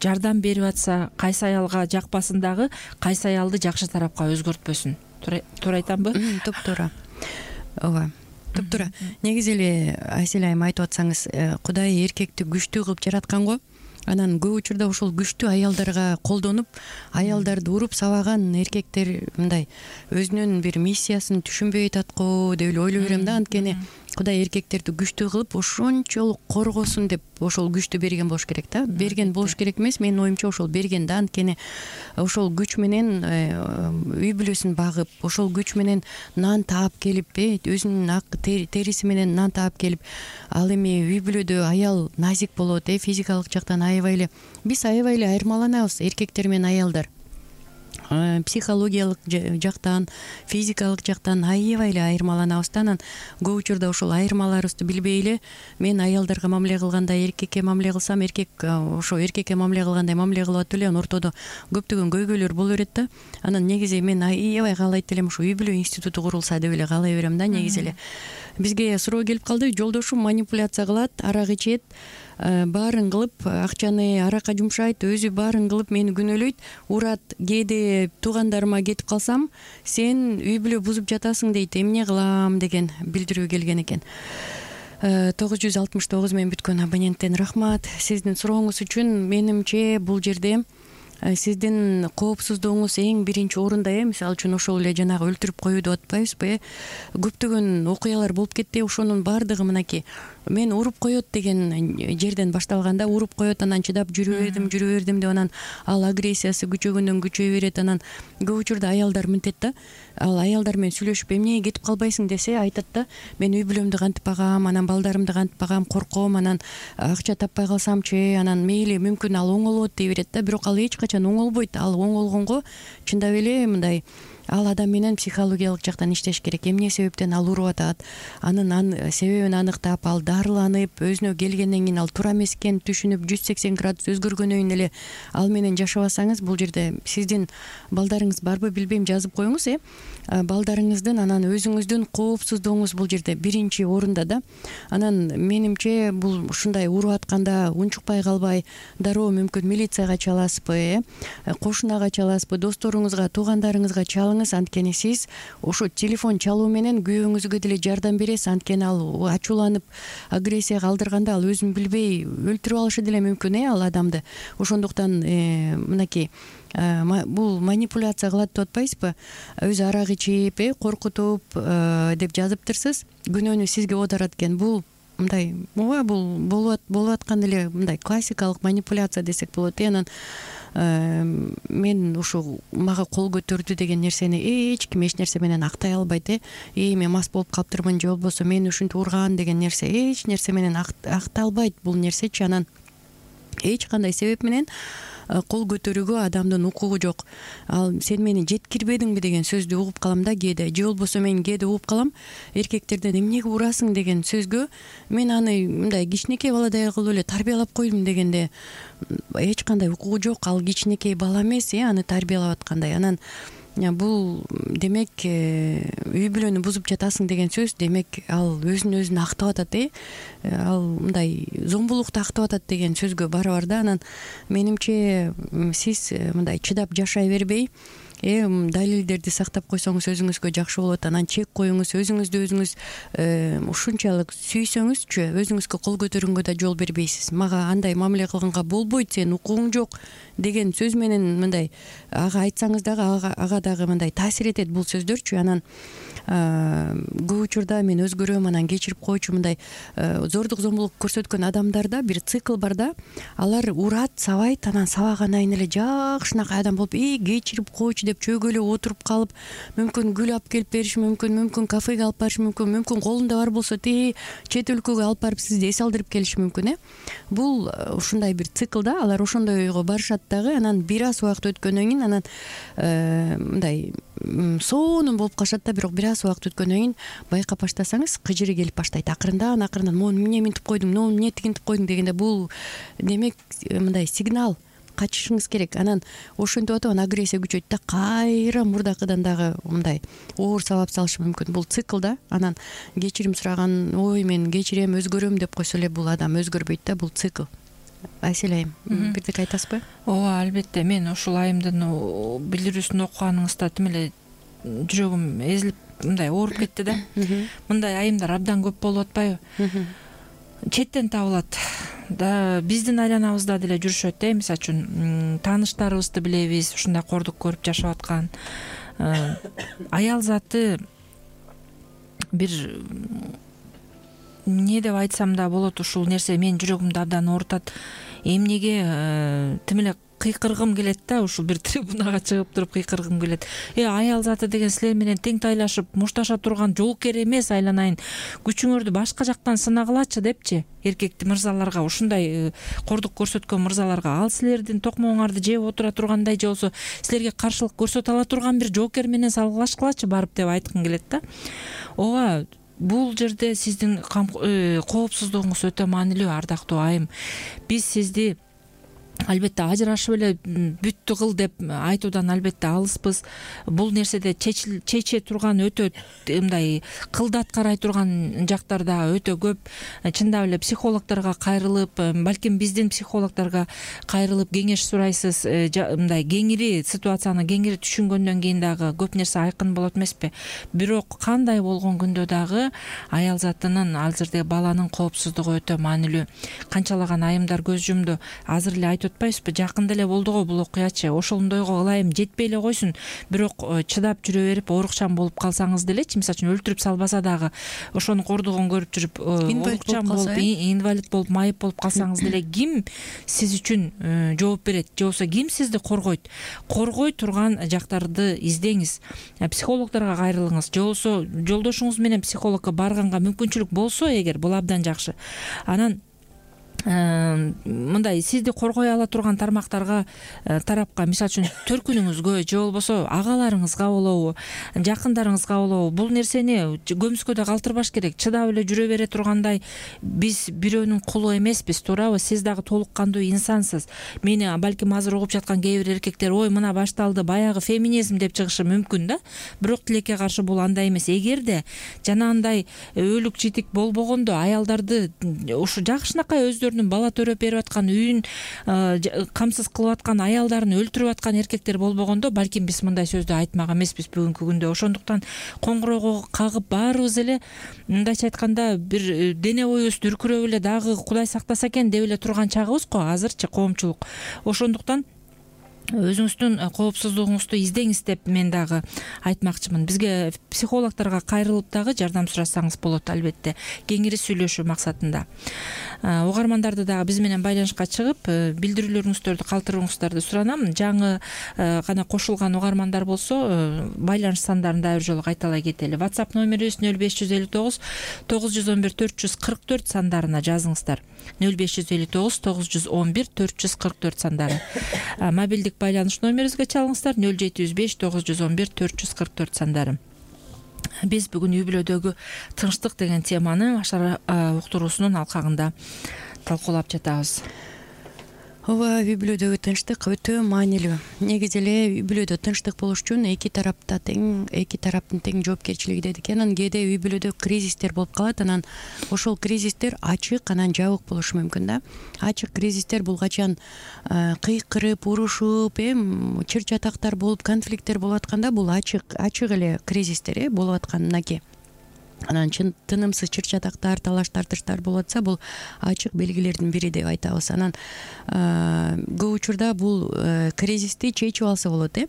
жардам берип атса, кайсы аялга жакпасын дагы, кайсы аялды жакшы тарапка өзгөртпөсүн. Туура айтамбы? Туптуура. Ооба. Туптуура. Негизи эле Айсель айым айтып атсаңыз, Кудай эркекти күчтүү кылып жараткан го. Анан көп учурда ошол күчтүү аялдарга колдонуп, аялдарды уруп сабаган эркектер мындай өзүнүн бир миссиясын түшүнбөй атат го деп эле ойлой берем да. Анткени Кудай эркектерди күчтүү кылып, ошончолук коргосун деп ошол күчтү берген болуш керек да. Берген болуш керек эмес, менин оюмча ошол берген да. Анткени ошол күч менен үй бүлөсүн багып, ошол күч менен нан таап келип, өзүнүн ак териси менен нан таап келип, ал эми үй бүлөдө аял назик болот, физикалык жактан аябай эле биз аябай эле айырмаланабыз, эркектер менен аялдар. Психологиялык жактан, физикалык жактан аябай эле айырмаланабыз да. Анан көп учурда ошол айырмаларыбызды билбей эле мен аялдарга мамиле кылгандай эркекке мамиле кылсам, эркек ошо эркекке мамиле кылгандай мамиле кылып атып эле анан ортодо көптөгөн көйгөйлөр боло берет да. Анан негизи мен аябай каалайт элем ошо үй бүлө институту курулса деп эле каалай берем да. Негизи эле бизге суроо келип калды, жолдошум манипуляция кылат, арак ичет, баарын кылып, акчаны аракка жумшайт, өзү баарын кылып мени күнөөлөйт, урат. Кээде туугандарыма кетип калсам, сен үй бүлө бузуп жатасың дейт, эмне кылам деген билдирүү келген экен. 969 менен бүткөн абоненттен рахмат сиздин сурооңуз үчүн. Менимче бул жерде сиздин коопсуздугуңуз эң биринчи орунда. Мисалы үчүн ошол эле жанагы өлтүрүп коюу деп атпайбызбы? Көптөгөн окуялар болуп кетти. Ошонун баардыгы мынакей мен уруп коет деген жерден башталганда, уруп коет, анан чыдап жүрө бердим деп анан ал агрессиясы күчөгөндөн күчөй берет. Анан көп учурда аялдар мынтет да, ал аялдар менен сүйлөшүп эмне кетип калбайсың десе, айтат да, мен үй бүлөмдү кантип багам, анан балдарымды кантип багам, корком, анан акча таппай калсамчы, анан мейли мүмкүн ал оңолот дей берет да. Бирок ал эч качан оңолбойт. Ал оңолгонго чындап эле мындай ал адам менен психологиялык жактан иштеш керек. Эмне себептен ал уруп атат, анын себебин аныктап, ал дарыланып, өзүнө келгенден кийин ал туура эмес экенин түшүнүп 180 градус өзгөргөндөн кийин эле ал менен жашабасаңыз, бул жерде сиздин балдарыңыз барбы билбейм, жазып коюңуз. Балдарыңыздын анан өзүңүздүн коопсуздугуңуз бул жерде биринчи орунда да. Анан менимче бул ушундай уруп атканда унчукпай калбай дароо мүмкүн милицияга чаласызбы, кошунага чаласызбы, досторуңузга, туугандарыңызга чалыңыз. Анткени сиз ошо телефон чалуу менен күйөөңүзгө деле жардам бересиз. Анткени ал ачууланып агрессия калтырганда ал өзүн билбей өлтүрүп алышы деле мүмкүн ал адамды. Ошондуктан мынакей бул манипуляция кылат деп атпайсызбы? Өзү арак ичип, коркутуп деп жазыптырсыз. Күнөөнү сизге оодарат экен. Бул мындай, бул болуп аткан эле мындай классикалык манипуляция десек болот. Анан мен ушу мага кол көтөрдү деген нерсени эч ким эч нерсе менен актай албайт. Мен мас болуп калыптырмын же болбосо мени ушинтип урган деген нерсе эч нерсе менен акталбайт бул нерсечи. Анан эч кандай себеп менен кол көтөрүүгө адамдын укугу жок. Ал сен мени жеткирбедиңби деген сөздү угуп калам да кээде, же болбосо мен кээде угуп калам эркектерден эмнеге урасың деген сөзгө мен аны мындай кичинекей баладай кылып эле тарбиялап койдум дегенде эч кандай укугу жок. Ал кичинекей бала эмес, аны тарбиялап аткандай. Анан бул демек үй бүлөнү бузуп жатасың деген сөз, демек ал өзүн актап атат, ал мындай зомбулукту актап атат деген сөзгө барабар да. Анан менимче сиз мындай чыдап жашай бербей далилдерди сактап койсоңуз өзүңүзгө жакшы болот. Анан чек коюңуз, өзүңүз ушунчалык сүйсөңүзчү өзүңүзгө кол көтөргөнгө да жол бербейсиз. Мага андай мамиле кылганга болбойт, сенин укугуң жок деген сөз менен мындай ага айтсаңыз дагы ага дагы мындай таасир этет бул сөздөрчү. Анан көп учурда мен өзгөрөм, анан кечирип койчу, мындай зордук зомбулук көрсөткөн адамдарда бир цикл бар да. Алар урат, сабайт, анан сабагандан кийин эле жакшынакай адам болуп кечирип койчу деп чөйгөлөп отуруп калып, мүмкүн гүл алып келип бериши мүмкүн кафеге алып барышы мүмкүн колунда бар болсо чет өлкөгө алып барып сизди эс алдырып келиши мүмкүн. Бул ушундай бир цикл да. Алар ошондой ойго барышат дагы. Анан бир аз убакыт өткөндөн кийин анан мындай сонун болуп калышат да. Бирок бир аз убакыт өткөндөн кийин байкап баштасаңыз кыжыры келип баштайт. Акырындан мону эмне минтип койдуң, мону эмне тигинтип койдуң дегенде бул демек мындай сигнал, качышыңыз керек. Анан ошентип атып агрессия күчөйт да, кайра мурдакыдан дагы мындай оор сабап салышы мүмкүн. Бул цикл да. Анан кечирим сураган, ой мен кечирем, өзгөрөм деп койсо эле бул адам өзгөрбөйт да, бул цикл. Айсель айым, бирдеке айтасызбы? Ооба, албетте. Мен ушул айымдын билдирүүсүн окуганыңызда тим эле жүрөгүм эзилип мындай ооруп кетти да. Мындай айымдар абдан көп болуп атпайбы? Четтен табылат да, биздин айланабызда деле жүрүшөт. Мисалы үчүн тааныштарыбызды билебиз, ушундай кордук көрүп жашап аткан аял заты бир эмне деп айтсам да болот, ушул нерсе менин жүрөгүмдү абдан оорутат. Эмнеге тим эле кыйкыргым келет да, ушул бир трибунага чыгып туруп кыйкыргым келет. Аял заты деген силер менен тең тайлашып мушташа турган жоокер эмес, айланайын, күчүңөрдү башка жактан сынагылачы депчи, эркекти мырзаларга, ушундай кордук көрсөткөн мырзаларга, ал силердин токмооңарды жеп отура тургандай же болсо силерге каршылык көрсөтө ала турган бир жоокер менен салгылашкылачы барып деп айткым келет да. Ооба, бул жерде сиздин коопсуздугуңуз өтө маанилүү, ардактуу айым. Биз сизди албетте ажырашып эле бүттү кыл деп айтуудан албетте алыспыз. Бул нерседе чече турган өтө мындай кылдат карай турган жактар да өтө көп. Чындап эле психологдорго кайрылып, балким биздин психологдорго кайрылып кеңеш сурайсыз. Мындай кеңири ситуацияны кеңири түшүнгөндөн кийин дагы көп нерсе айкын болот эмеспи? Бирок кандай болгон күндө дагы аял затынын, азырдагы баланын коопсуздугу өтө маанилүү. Канчалаган айымдар көз жумду. Азыр эле айтып атпайсызбы, жакында эле болду го бул окуячы. Ошондойго ылайым жетпей эле койсун, бирок чыдап жүрө берип оорукчан болуп калсаңыз делечи, мисалы үчүн өлтүрүп салбаса дагы ошонун кордугун көрүп жүрүп оорукчан болуп, инвалид болуп, майып болуп калсаңыз деле ким сиз үчүн жооп берет, же болбосо ким сизди коргойт? Коргой турган жактарды издеңиз. Психологдорго кайрылыңыз, же болбосо жолдошуңуз менен психологко барганга мүмкүнчүлүк болсо эгер, бул абдан жакшы. Анан мындай сизди коргой ала турган тармактарга тарапка мисалы үчүн төркүнүңүзгө же болбосо агаларыңызга болобу, жакындарыңызга болобу бул нерсени көмүскөдө калтырбаш керек, чыдап эле жүрө бере тургандай биз бирөөнүн кулу эмеспиз, туурабы? Сиз дагы толук кандуу инсансыз. Мени балким азыр угуп жаткан кээ бир эркектер ой мына башталды баягы феминизм деп чыгышы мүмкүн да, бирок тилекке каршы бул андай эмес. Эгерде жанагындай өлүк житик болбогондо аялдарды ушу жакшынакай өздөрүнүн бала төрөп берип аткан, үйүн камсыз кылып аткан аялдарын өлтүрүп аткан эркектер болбогондо балким биз мындай сөздү айтмак эмеспиз бүгүнкү күндө. Ошондуктан коңгуроого кагып баарыбыз эле мындайча айтканда бир дене боюбузду үркүрөп эле дагы Кудай сактаса экен деп эле турган чагыбыз го азырчы коомчулук. Ошондуктан өзүңүздүн коопсуздугуңузду издеңиз деп мен дагы айтмакчымын. Бизге психологторго кайрылып дагы жардам сурасаңыз болот, албетте, кеңири сүйлөшүү максатында. Угармандарды дагы биз менен байланышка чыгып билдирүүлөрүңүздөрдү калтырууңуздарды суранам. Жаңы гана кошулган угармандар болсо байланыш сандарын дагы бир жолу кайталай кетели. WhatsApp номерибиз 0559 911 444 сандарына жазыңыздар. 0559 911 444 сандары. Мобилдик байланыш номерибизге чалыңыздар. 0705 911 444 сандары. Биз бүгүн үй бүлөдөгү тынчтык деген теманы Ашар уктуруусунун алкагында талкуулап жатабыз. Ооба, үй бүлөдөгү тынчтык өтө маанилүү. Негизи эле үй бүлөдө тынчтык болуш үчүн эки тараптын тең жоопкерчилиги дедик. Анан кээде үй бүлөдө кризистер болуп калат. Анан ошол кризистер ачык, анан жабык болушу мүмкүн да. Ачык кризистер бул качан кыйкырып, урушуп, чыр чатактар болуп, конфликттер болуп атканда бул ачык эле кризистер болуп аткан мынакей. Анан тынымсыз чыр чатактар, талаш тартыштар болуп атса, бул ачык белгилердин бири деп айтабыз. Анан көп учурда бул кризисти чечип алса болот,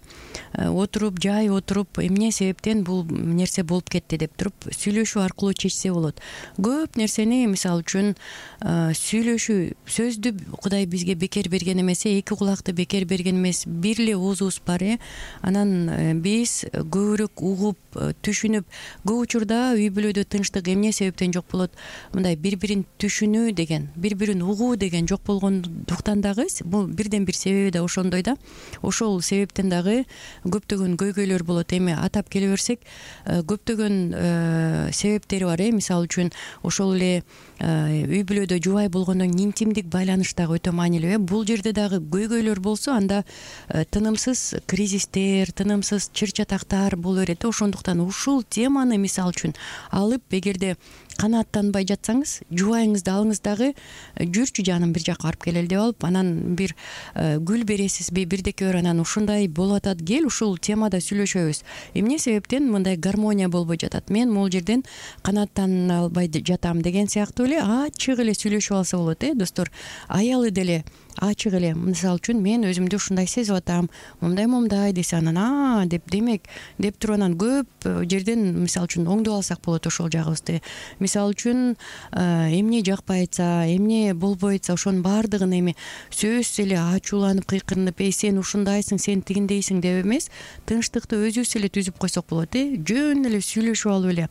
жай отуруп, эмне себептен бул нерсе болуп кетти деп туруп сүйлөшүү аркылуу чечсе болот. Көп нерсени, мисалы үчүн, сүйлөшүү, сөздү Кудай бизге бекер берген эмес, эки кулакты бекер берген эмес, бир эле оозубуз бар, анан биз көбүрөөк угуп, түшүнүп, көп учурда үй бүлөдө тынчтык эмне себептен жок болот? Мындай бири-бирин түшүнүү деген, бири-бирин угуу деген жок болгондуктан дагы бул бирден бир себеби да ошондой да. Ошол себептен дагы көптөгөн көйгөйлөр болот. Эми атап келе берсек, көптөгөн себептери бар. Мисалы үчүн, ошол эле үй бүлөдө жубай болгондон интимдик байланыш дагы өтө маанилүү. Бул жерде дагы көйгөйлөр болсо, анда тынымсыз кризистер, тынымсыз чыр чатактар боло берет. Ошондуктан ушул теманы мисалы үчүн алып, эгерде канааттанбай жатсаңыз, жубайыңызды алыңыз дагы, жүрчү жаным бир жакка барып келели деп алып, анан бир гүл бересизби, бирдеке бер, анан ушундай болуп атат, кел ушул темада сүйлөшөбүз. Эмне себептен мындай гармония болбой жатат? Мен могул жерден канааттана албай жатам деген сыяктуу эле ачык эле сүйлөшүп алса болот, достор. Аялы деле ачык эле, мисалы үчүн, мен өзүмдү ушундай сезип атам, момдай десе, анан деп демек деп туруп, анан көп жерден мисалы үчүн оңдоп алсак болот ошол жагыбызды. Мисалы үчүн, эмне жакпай атса, эмне болбой атса, ошонун баардыгын эми сөзсүз эле ачууланып, кыйкырынып, сен ушундайсың, сен тигиндейсиң деп эмес, тынчтыкты өзүбүз эле түзүп койсок болот, жөн эле сүйлөшүп алып эле,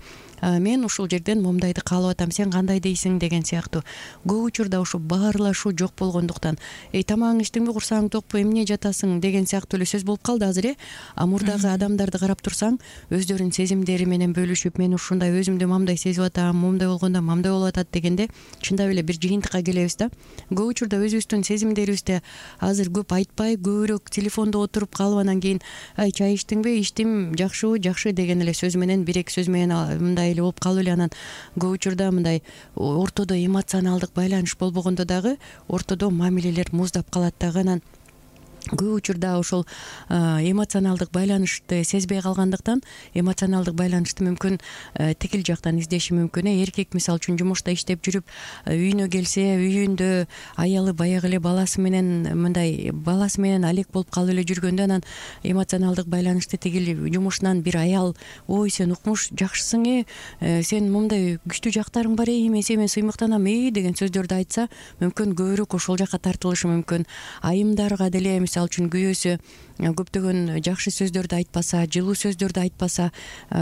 мен ушул жерден момдайды каалап атам, сен кандай дейсиң деген сыяктуу. Көп учурда ушу баарлашуу жок болгондуктан, тамагың иштиңби, курсагың токпу, эмне жатасың деген сыяктуу эле сөз болуп калды азыр. Мурдагы адамдарды карап турсаң, өздөрүнүн сезимдери менен бөлүшүп, мен ушундай өзүмдү мамдай сезип атам, момдай болгондо мамдай болуп атат дегенде, чындап эле бир жыйынтыкка келебиз да. Көп учурда өзүбүздүн сезимдерибизди азыр көп айтпай, көбүрөөк телефондо отуруп калып, анан кийин чай иштиңби, иштим, жакшы деген эле сөз менен, бир эки сөз менен мындай эле болуп калып эле, анан көп учурда мындай ортодо эмоционалдык байланыш болбогондо дагы ортодо мамилелер муздап калат дагы. Анан көп учурда ошол эмоционалдык байланышты сезбей калгандыктан, эмоционалдык байланышты мүмкүн тигил жактан издеши мүмкүн. Эркек мисалы үчүн жумушта иштеп жүрүп, үйүнө келсе, үйүндө аялы баягы эле баласы менен алек болуп калып эле жүргөндө, анан эмоционалдык байланышты тигил жумушунан бир аял, ой, сен укмуш жакшысың, сен момдай күчтүү жактарың бар, мен сени сыймыктанам деген сөздөрдү айтса, мүмкүн көбүрөөк ошол жакка тартылышы мүмкүн. Айымдарга деле мисалы үчүн күйөөсү көптөгөн жакшы сөздөрдү айтпаса, жылуу сөздөрдү айтпаса,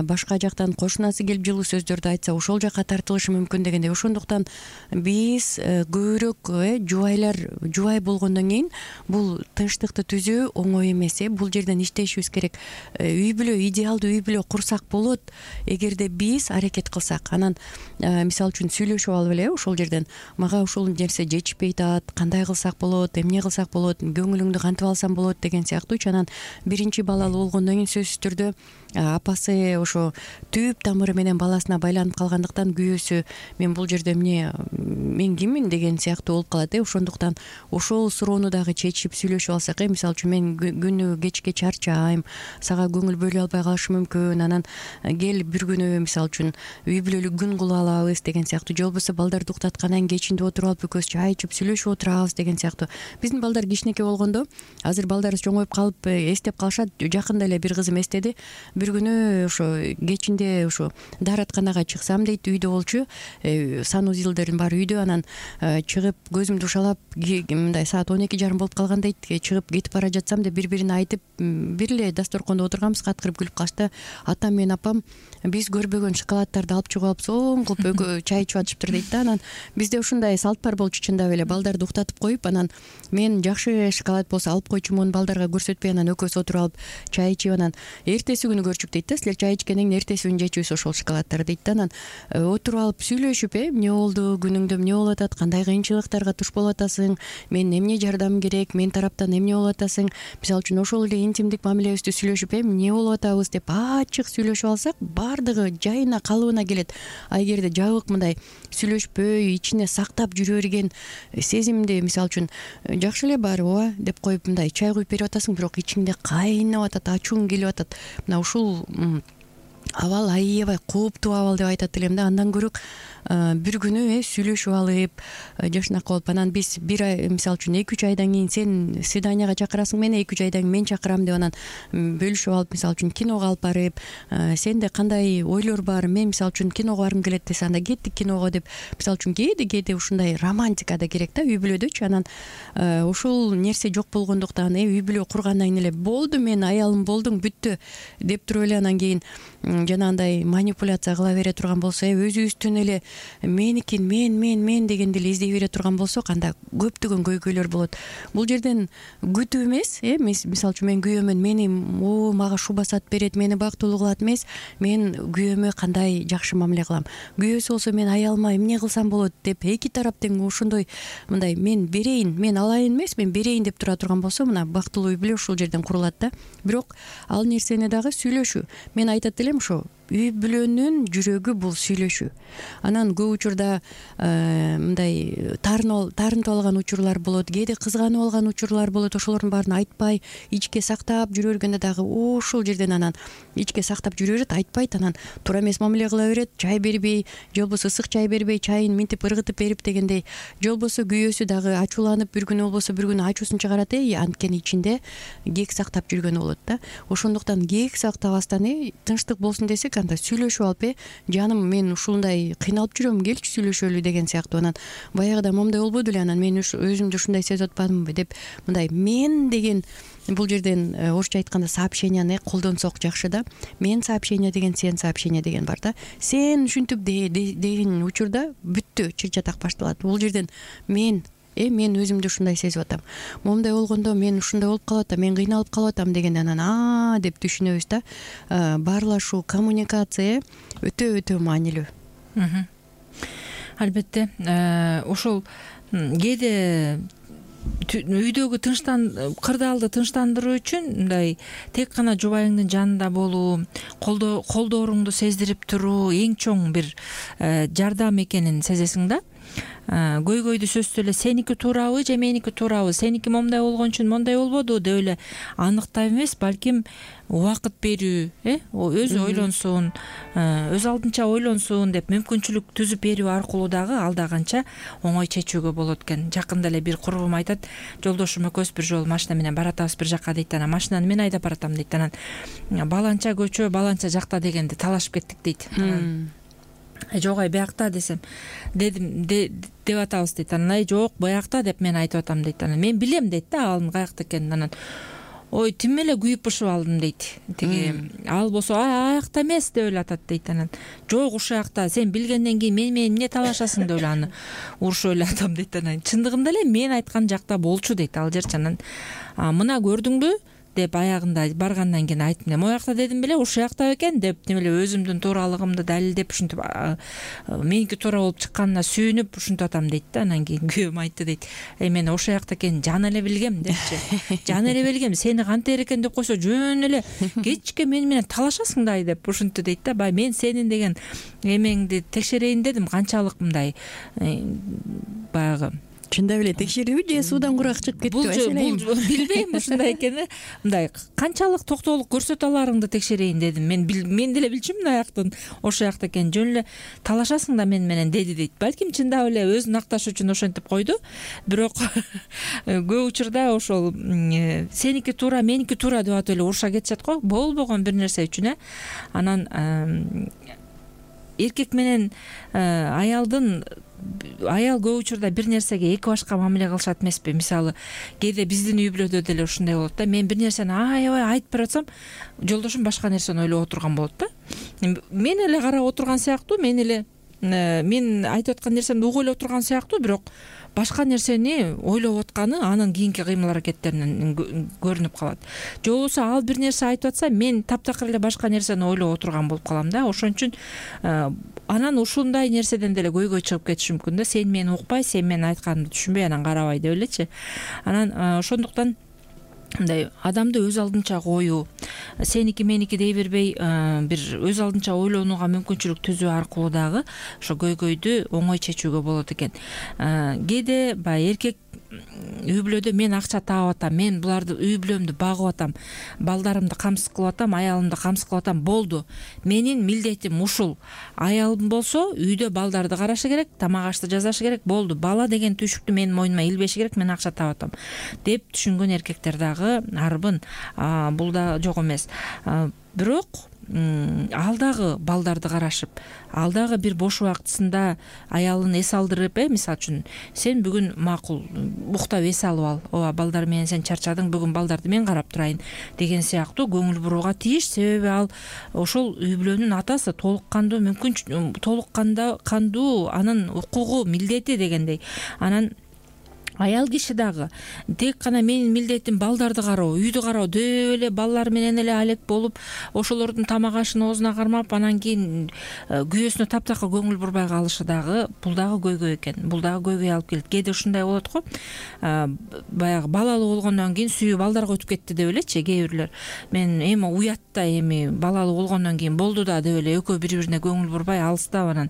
башка жактан кошунасы келип жылуу сөздөрдү айтса, ошол жакка тартылышы мүмкүн дегендей. Ошондуктан биз көбүрөөк жубай болгондон кийин бул тынчтыкты түзүү оңой эмес. Бул жерден иштешибиз керек. Үй бүлө, идеалдуу үй бүлө курсак болот эгерде биз аракет кылсак. Анан мисалы үчүн сүйлөшүп алып эле ошол жерден мага ушул нерсе жетишпей атат, кандай кылсак болот, эмне кылсак болот, көңүлүңдү кантип алсам болот деген сыяктуу. Анан биринчи балалуу болгондон кийин сөзсүз түрдө апасы ошо түп тамыры менен баласына байланып калгандыктан күйөөсү мен бул жерде мен киммин деген сыяктуу болуп калат. Ошондуктан ошол суроону дагы чечип сүйлөшүп алсак, мисалы үчүн мен күнү кечке чарчайм, сага көңүл бөлө албай калышым мүмкүн, анан кел бир күнү мисалы үчүн үй бүлөлүк күн кыла алабыз деген сыяктуу, же болбосо балдарды уктаткандан кийин кечинде отуруп алып экөөбүз чай ичип сүйлөшүп отурабыз деген сыяктуу. Биздин балдар кичинекей болгондо, азыр балдарыбыз чоңоюп калып эстеп калышат. Жакында эле бир кызым эстеди, бир күнү ошо кечинде ошо дааратканага чыксам дейт, үйдө болчу, санузелдердин баары үйдө. Анан чыгып көзүмдү ушалап мындай саат 12:30 болуп калган дейт, чыгып кетип бара жатсам деп бири бирине айтып, бир эле дасторкондо отурганбыз, каткырып күлүп калышты. Атам менен апам биз көрбөгөн шоколаддарды алып чыгып алып соң кылып чай ичип атышыптыр дейт да. Анан бизде ушундай салт бар болчу чындап эле, балдарды уктатып коюп, анан мен жакшы шоколад болсо алып койчумун, балдарга көрсөтпөй, анан экөөбүз отуруп алып чай ичип, анан эртеси күнү көрчүк дейт да, силер чай ичкенден кийин эртеси күнү жечүбүз ошол шоколаддарды дейт да. Анан отуруп алып сүйлөшүп, эмне болду, күнүңдө эмне болуп атат, кандай кыйынчылыктарга туш болуп атасың, мен эмне жардам керек, мен тараптан эмне болуп атасың, мисалы үчүн ошол эле интимдик мамилебизди сүйлөшүп, эмне болуп атабыз деп ачык сүйлөшүп алсак, баардыгы жайына калыбына келет. А эгерде жабык мындай сүйлөшпөй, ичине сактап жүрө берген сезимди, мисалы үчүн жакшы эле баары ооба деп коюп мындай чай куюп берип атасың, бирок ичиңде кайнап атат, ачууң келип атат. Мына ушул абал аябай кооптуу абал деп айтат элем да. Андан көрө бир күнү сүйлөшүп алып, жашынакы болуп, анан биз бир ай мисалы үчүн 2-3 айдан кийин сен свиданияга чакырасың мени, 2-3 айдан кийин мен чакырам деп анан бөлүшүп алып, мисалы үчүн киного алып барып, сенде кандай ойлор бар, мен мисалы үчүн киного баргым келет десе, анда кеттик киного деп, мисалы үчүн кээде ушундай романтика да керек да үй бүлөдөчү. Анан ошол нерсе жок болгондуктан үй бүлө кургандан кийин эле болду, мен аялым болдуң, бүттү деп туруп эле анан кийин жанагындай манипуляция кыла бере турган болсо, өзүбүздүн эле меникин мен дегенди эле издей бере турган болсок, анда көптөгөн көйгөйлөр болот. Бул жерден күтүү эмес, мисалы үчүн мен күйөөмөн, мени мага шу басат берет, мени бактылуу кылат эмес, мен күйөөмө кандай жакшы мамиле кылам, күйөөсү болсо мен аялыма эмне кылсам болот деп эки тарап тең ошондой мындай мен берейин, мен алайын эмес, мен берейин деп тура турган болсо, мына бактылуу үй бүлө ушул жерден курулат да. Бирок ал нерсени дагы сүйлөшүү. Мен айтат элем ошо үй бүлөнүн жүрөгү бул сүйлөшүү. Анан көп учурда мындай таарынтып алган учурлар болот, кээде кызганып алган учурлар болот. Ошолордун баарын айтпай, ичке сактап жүрө бергенде дагы ошол жерден анан ичке сактап жүрө берет, айтпайт, анан туура эмес мамиле кыла берет, чай бербей, же болбосо ысык чай бербей, чайын минтип ыргытып берип дегендей, же болбосо күйөөсү дагы ачууланып бир күнү болбосо бир күнү ачуусун чыгарат, анткени ичинде кек сактап жүргөнү болот да. Ошондуктан кек сактабастан тынчтык болсун десек, анда сүйлөшүп алып, жаным мен ушундай кыйналып жүрөм, келчи сүйлөшөлү деген сыяктуу. Анан баягыда момундай болбоду эле, анан мен өзүмдү ушундай сезип атпадымбы деп мындай мен деген бул жерден орусча айтканда сообщенияны колдонсок жакшы да. Мен сообщение деген, сен сообщение деген бар да. Сен ушинтип деген учурда бүттү, чыр-чатак башталат. Бул жерден мен өзүмдү ушундай сезип атам, момундай болгондо мен ушундай болуп калып атам, мен кыйналып калып атам дегенде анан деп түшүнөбүз да. Баарлашуу, коммуникация өтө маанилүү. Албетте, ошол кээде үйдөгү кырдаалды тынчтандыруу үчүн мындай тек гана жубайыңдын жанында болуу, колдооруңду сездирип туруу эң чоң бир жардам экенин сезесиң да. Көйгөйдү сөзсүз эле сеники туурабы же меники туурабы, сеники момундай болгон үчүн мондай болбоду деп эле аныктап эмес, балким убакыт берүү, өзү ойлонсун, өз алдынча ойлонсун деп мүмкүнчүлүк түзүп берүү аркылуу дагы ал да канча оңой чечүүгө болот экен. Жакында эле бир курбум айтат, жолдошум экөөбүз бир жолу машина менен баратабыз бир жакка дейт, анан машинаны мен айдап баратам дейт, анан баланча көчө баланча жакта дегенди талашып кеттик дейт. жок биякта десем деп атабыз дейт. Анан жок биякта деп мен айтып атам дейт. Анан мен билем дейт да алын каякта экенин. Анан ой тим эле күйүп бышып алдым дейт. Тиги ал болсо аякта эмес деп эле атат дейт. Анан жок ушул жакта сен билгенден кийин мен менен эмне талашасың деп эле аны урушуп эле атам дейт. Анан чындыгында эле мен айткан жакта болчу дейт ал жерчи. Анан мына көрдүңбү деп аягында баргандан кийин айттым. Могу жакта дедим беле ушул жакта экен деп тим эле өзүмдүн тууралыгымды далилдеп ушинтип меники туура болуп чыкканына сүйүнүп ушинтип атам дейт да. Анан кийин күйөөм айтты дейт. Мен ошол жакта экенин жан эле билгем депчи. Жан эле билгем. Сени кантер экен деп койсо жөн эле кечке мени менен талашасың да деп ушинтти дейт да. Бай мен сенин деген эмеңди текшерейин дедим. Канчалык мындай баягы чындап эле текшерүүбү же суудан курак чыгып кеттиби? Билбейм ушундай экени. Мындай канчалык токтоолук көрсөтө аларыңды текшерейин дедим. Мен деле билчүмүн мына жактын ошол жакта экенин. Жөн эле талашасың да мен менен деди дейт. Балким чындап эле өзүн акташ үчүн ошентип койду. Бирок көп учурда ошол сеники туура, меники туура деп атып эле уруша кетишет го. Болбогон бир нерсе үчүн Анан эркек менен аял көп учурда бир нерсеге эки башка мамиле кылышат эмеспи? Мисалы, кээде биздин үй бүлөдө деле ушундай болот да. Мен бир нерсени аябай айтып бератсам, жолдошум башка нерсени ойлоп отурган болот да. Мен эле карап отурган сыяктуу, мен айтып аткан нерсемди угуп отурган сыяктуу, бирок башка нерсени ойлоп атканы анын кийинки кыймыл аракеттеринен көрүнүп калат. Же болбосо ал бир нерсе айтып атса, мен таптакыр эле башка нерсени ойлоп отурган болуп калам да. Ошон үчүн анан ушундай нерседен деле көйгөй чыгып кетиши мүмкүн да. Сен мени укпай, сен менин айтканымды түшүнбөй анан карабай деп элечи. Анан ошондуктан мындай адамды өз алдынча коюу, сеники меники дей бербей, бир өз алдынча ойлонууга мүмкүнчүлүк түзүү аркылуу дагы ошо көйгөйдү оңой чечүүгө болот экен. Кээде баягы эркек үй бүлөдө мен акча таап атам, мен буларды үй бүлөмдү багып атам, балдарымды камсыз кылып атам, аялымды камсыз кылып атам, болду. Менин милдетим ушул. Аялым болсо үйдө балдарды карашы керек, тамак ашты жасашы керек, болду. Бала деген түйшүктү менин мойнума илбеши керек, мен акча таап атам деп түшүнгөн эркектер дагы арбын. Бул да жок эмес. Бирок ал дагы балдарды карашып, ал дагы бир бош убактысында аялын эс алдырып, мисалы үчүн сен бүгүн макул уктап эс алып ал, ооба балдар менен сен чарчадың, бүгүн балдарды мен карап турайын деген сыяктуу көңүл бурууга тийиш. Себеби ал ошол үй бүлөнүн атасы, толук кандуу анын укугу, милдети дегендей. Анан аял киши дагы тек гана менин милдетим балдарды кароо, үйдү кароо деп эле балдар менен эле алек болуп, ошолордун тамак ашын оозуна кармап, анан кийин күйөөсүнө таптакыр көңүл бурбай калышы дагы бул дагы көйгөй экен. Бул дагы көйгөй алып келет. Кээде ушундай болот го. Баягы балалуу болгондон кийин сүйүү балдарга өтүп кетти деп элечи кээ бирлер. Мен эми уят да, эми балалуу болгондон кийин болду да деп эле экөө бири-бирине көңүл бурбай алыстап, анан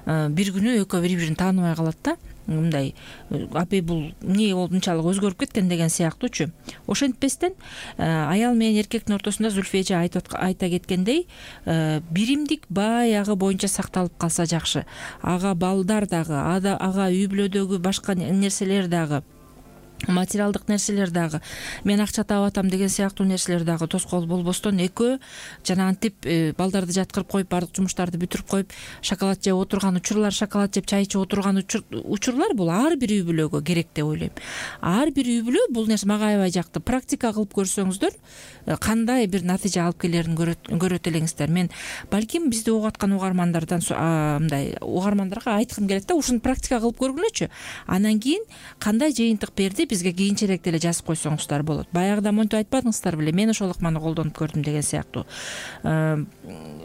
бир күнү экөө бири-бирин тааныбай калат да. Мындай апей бул эмне болуп мынчалык өзгөрүп кеткен деген сыяктуучу. Ошентпестен аял менен эркектин ортосунда Зүлфия эже айта кеткендей, биримдик баягы боюнча сакталып калса жакшы. Ага балдар дагы, ага үй бүлөдөгү башка нерселер дагы, материалдык нерселер дагы, мен акча таап атам деген сыяктуу нерселер дагы тоскоол болбостон экөө жанагынтип балдарды жаткырып коюп, бардык жумуштарды бүтүрүп коюп, шоколад жеп отурган учурлар, шоколад жеп чай ичип отурган учурлар бул ар бир үй бүлөгө керек деп ойлойм. Ар бир үй бүлө бул нерсе мага аябай жакты. Практика кылып көрсөңүздөр кандай бир натыйжа алып келерин көрөт элеңиздер. Мен балким бизди угуп аткан угармандардан мындай угармандарга айткым келет да, ушуну практика кылып көргүлөчү. Анан кийин кандай жыйынтык берди бизге кийинчерээк деле жазып койсоңуздар болот. Баягыда монтип айтпадыңыздар беле, мен ошол ыкманы колдонуп көрдүм деген сыяктуу.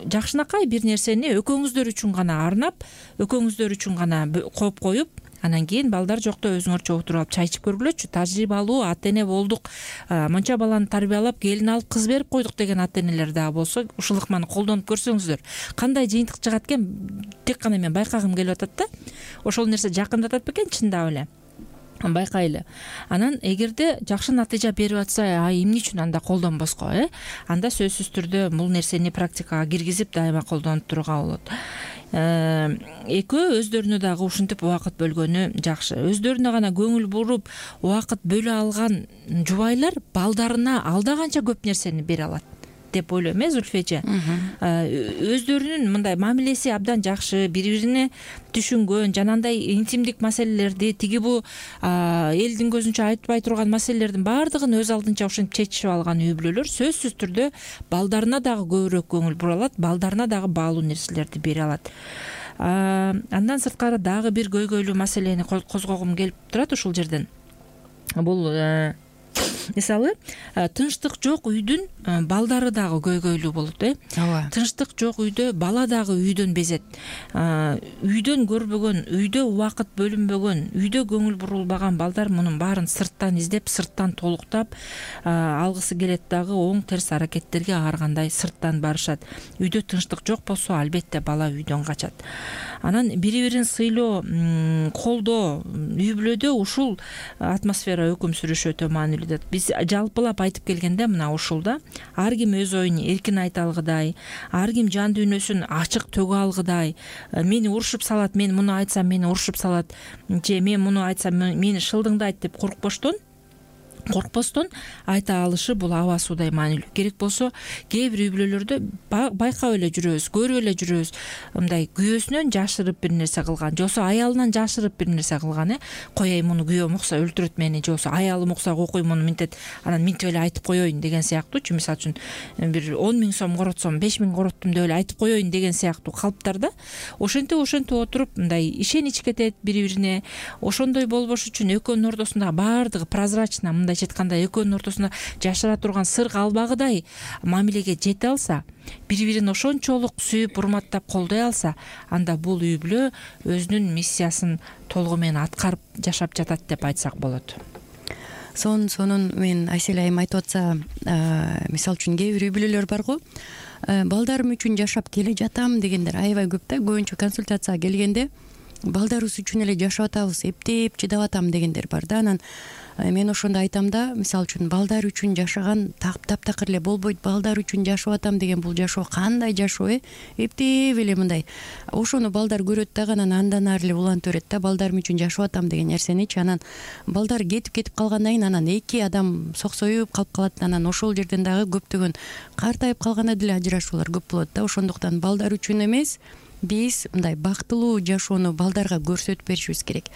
Жакшынакай бир нерсени экөөңүздөр үчүн гана арнап, экөөңүздөр үчүн гана коюп, анан кийин балдар жокто өзүңөрчө отуруп алып чай ичип көргүлөчү. Тажрыйбалуу ата-эне болдук, монча баланы тарбиялап, келин алып, кыз берип койдук деген ата-энелер дагы болсо, ушул ыкманы колдонуп көрсөңүздөр, кандай жыйынтык чыгат экен тек гана мен байкагым келип атат да. Ошол нерсе жакындатат бекен чындап эле. Байкайлы. Анан эгерде жакшы натыйжа берип атса, эмне үчүн анда колдонбоско, анда сөзсүз түрдө бул нерсени практикага киргизип дайыма колдонуп турууга болот. Экөө өздөрүнө дагы ушинтип убакыт бөлгөнү жакшы. Өздөрүнө гана көңүл буруп убакыт бөлө алган жубайлар балдарына алда канча көп нерсени бере алат. деп ойлойм, Зульфи эже. Өздөрүнүн мындай мамилеси абдан жакшы, бири бирине түшүнгөн, жанагындай интимдик маселелерди, тиги бу элдин көзүнчө айтпай турган маселелердин баардыгын өз алдынча ушинтип чечишип алган үй бүлөлөр сөзсүз түрдө балдарына дагы көбүрөөк көңүл бура алат, балдарына дагы баалуу нерселерди бере алат. Андан сырткары дагы бир көйгөйлүү маселени козгогум келип турат ушул жерден. Бул мисалы тынчтык жок үйдүн балдары дагы көйгөйлүү болот. Ооба. Тынчтык жок үйдө бала дагы үйдөн безет. Үйдөн көрбөгөн, үйдө убакыт бөлүнбөгөн, үйдө көңүл бурулбаган балдар мунун баарын сырттан издеп, сырттан толуктап алгысы келет дагы оң терс аракеттерге ар кандай сырттан барышат. Үйдө тынчтык жок болсо, албетте бала үйдөн качат. Анан бири-бирин сыйлоо, колдоо үй бүлөдө ушул атмосфера өкүм сүрүшү өтө маанилүү. Биз жалпылап айтып келгенде мына ушулда ар ким өз оюн эркин айта алгыдай, ар ким жан дүйнөсүн ачык төгө алгыдай, мени урушуп салат, мен муну айтсам мени урушуп салат, же мен муну айтсам мени шылдыңдайт деп коркпостон айта алышы бул аба суудай маанилүү. Керек болсо кээ бир үй бүлөлөрдө байкап эле жүрөбүз, көрүп эле жүрөбүз, мындай күйөөсүнөн жашырып бир нерсе кылган, же болбосо аялынан жашырып бир нерсе кылган. Коеюн муну күйөөм укса өлтүрөт мени, же болбосо аялым укса кокуй муну минтет, анан минтип эле айтып коеюн деген сыяктуучу. Мисалы үчүн бир 10 000 сом коротсом 5 000 короттум деп эле айтып коеюн деген сыяктуу калыптарда ошентип отуруп мындай ишенич кетет бири-бирине. Ошондой болбош үчүн экөөнүн ортосунда баардыгы прозрачно, мындайча айтканда экөөнүн ортосунда жашыра турган сыр калбагыдай мамилеге жете алса, бири-бирин ошончолук сүйүп, урматтап, колдой алса, анда бул үй бүлө өзүнүн миссиясын толугу менен аткарып жашап жатат деп айтсак болот. Сонун мен Айсель айым айтып атса, мисалы үчүн кээ бир үй бүлөлөр барго, балдарым үчүн жашап келе жатам дегендер аябай көп да. Көбүнчө консультацияга келгенде балдарыбыз үчүн эле жашап атабыз, эптеп чыдап атам дегендер бар да. Анан мен ошондо айтам да, мисалы үчүн балдар үчүн жашаган таптакыр эле болбойт. Балдар үчүн жашап атам деген бул жашоо кандай жашоо, эптеп эле мындай. Ошону балдар көрөт дагы, анан андан ары эле улантып берет да, балдарым үчүн жашап атам деген нерсеничи. Анан балдар кетип калгандан кийин анан эки адам соксоюп калып калат. Анан ошол жерден дагы көптөгөн картайып калганда деле ажырашуулар көп болот да. Ошондуктан балдар үчүн эмес, биз мындай бактылуу жашоону балдарга көрсөтүп беришибиз керек.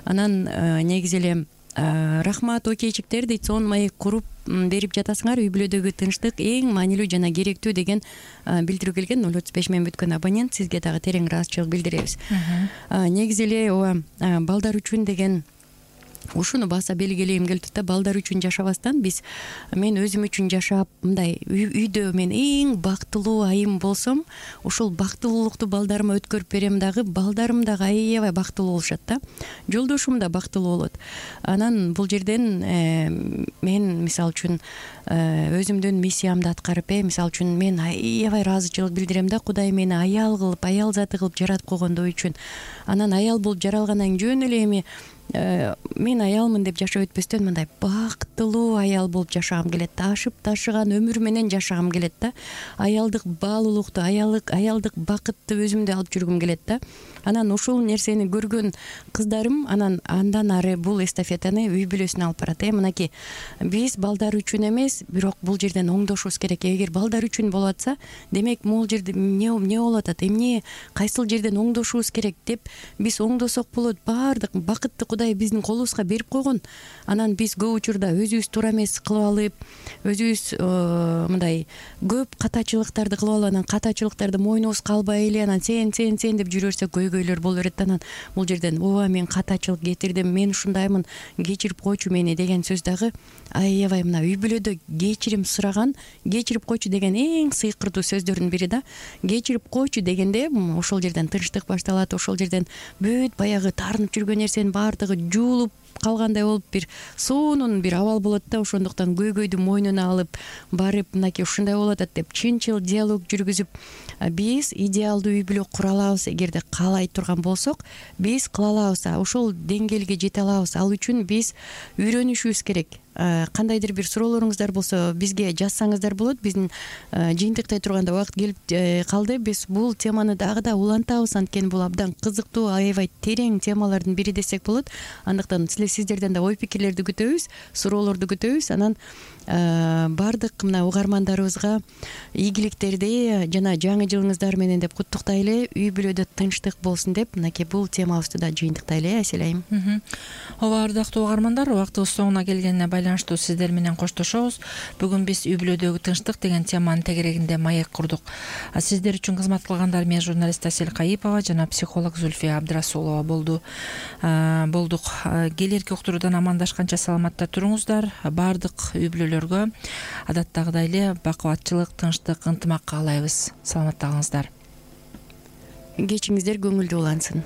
Анан негизи эле рахмат окейчиктер дейт, сонун маек куруп берип жатасыңар. Үй бүлөдөгү тынчтык эң маанилүү жана керектүү деген билдирүү келген. 035 менен бүткөн абонент, сизге дагы терең ыраазычылык билдиребиз. Негизи эле ооба балдар үчүн деген ушуну баса белгилегим келип турат да. Балдар үчүн жашабастан мен өзүм үчүн жашап, мындай үйдө мен эң бактылуу айым болсом, ушул бактылуулукту балдарыма өткөрүп берем дагы, балдарым дагы аябай бактылуу болушат да. Жолдошум да бактылуу болот. Анан бул жерден мен мисалы үчүн өзүмдүн миссиямды аткарып, мисалы үчүн мен аябай ыраазычылык билдирем да. Кудай мени аял кылып, аял заты кылып жаратып койгондугу үчүн. Анан аял болуп жаралгандан кийин жөн эле эми мен аялмын деп жашап өтпөстөн мындай бактылуу аял болуп жашагым келет да. Ашып ташыган өмүр менен жашагым келет да. Аялдык баалуулукту, аялдык бакытты өзүмдө алып жүргүм келет да. Анан ушул нерсени көргөн кыздарым андан ары бул эстафетаны үй бүлөсүнө алып барат. Мынакей биз балдар үчүн эмес, бирок бул жерден оңдошубуз керек. Эгер балдар үчүн болуп атса, демек могул жерде эмне болуп атат, эмне кайсыл жерден оңдошубуз керек деп биз оңдосок болот. Баардык бакытты Кудай биздин колубузга берип койгон. Анан биз көп учурда өзүбүз туура эмес кылып алып, өзүбүз мындай көп катачылыктарды кылып алып, анан катачылыктарды мойнубузга албай эле анан сен деп жүрө берсек көйгөйлөр боло берет. Анан бул жерден ооба мен катачылык кетирдим, мен ушундаймын, кечирип койчу мени деген сөз дагы аябай мына үй бүлөдө кечирим сураган, кечирип койчу деген эң сыйкырдуу сөздөрдүн бири да. Кечирип койчу дегенде ошол жерден тынчтык башталат, ошол жерден бүт баягы таарынып жүргөн нерсенин баардыгы жуулуп калгандай болуп бир сонун бир абал болот да. Ошондуктан көйгөйдү мойнуна алып барып мынакей ушундай болуп атат деп чынчыл диалог жүргүзүп биз идеалдуу үй бүлө кура алабыз. Эгерде каалай турган болсок, биз кыла алабыз, ошол деңгээлге жете алабыз. Ал үчүн биз үйрөнүшүбүз керек. Кандайдыр бир суроолоруңуздар болсо бизге жазсаңыздар болот. Биздин жыйынтыктай турганда убакыт келип калды. Биз бул теманы дагы да улантабыз, анткени бул абдан кызыктуу, аябай терең темалардын бири десек болот. Андыктан сиздерден да ой пикирлерди күтөбүз, суроолорду күтөбүз. Анан баардык мына угармандарыбызга ийгиликтерди жана жаңы жылыңыздар менен деп куттуктайлы. Үй бүлөдө тынчтык болсун деп мынакей бул темабызды да жыйынтыктайлы. Айсел айым. Ооба, ардактуу угармандар, убактыбыз соңуна келгенине байланыштуу сиздер менен коштошобуз. Бүгүн биз үй бүлөдөгү тынчтык деген теманын тегерегинде маек курдук. Сиздер үчүн кызмат кылгандар мен журналист Асель Кайыпова жана психолог Зульфия Абдрасулова болдук. Келерки уктуруудан амандашканча саламатта туруңуздар. Баардык үй бүлөлөргө адаттагыдай эле бакубатчылык, тынчтык, ынтымак каалайбыз. Саламатта калыңыздар. Кечиңиздер көңүлдүү улансын.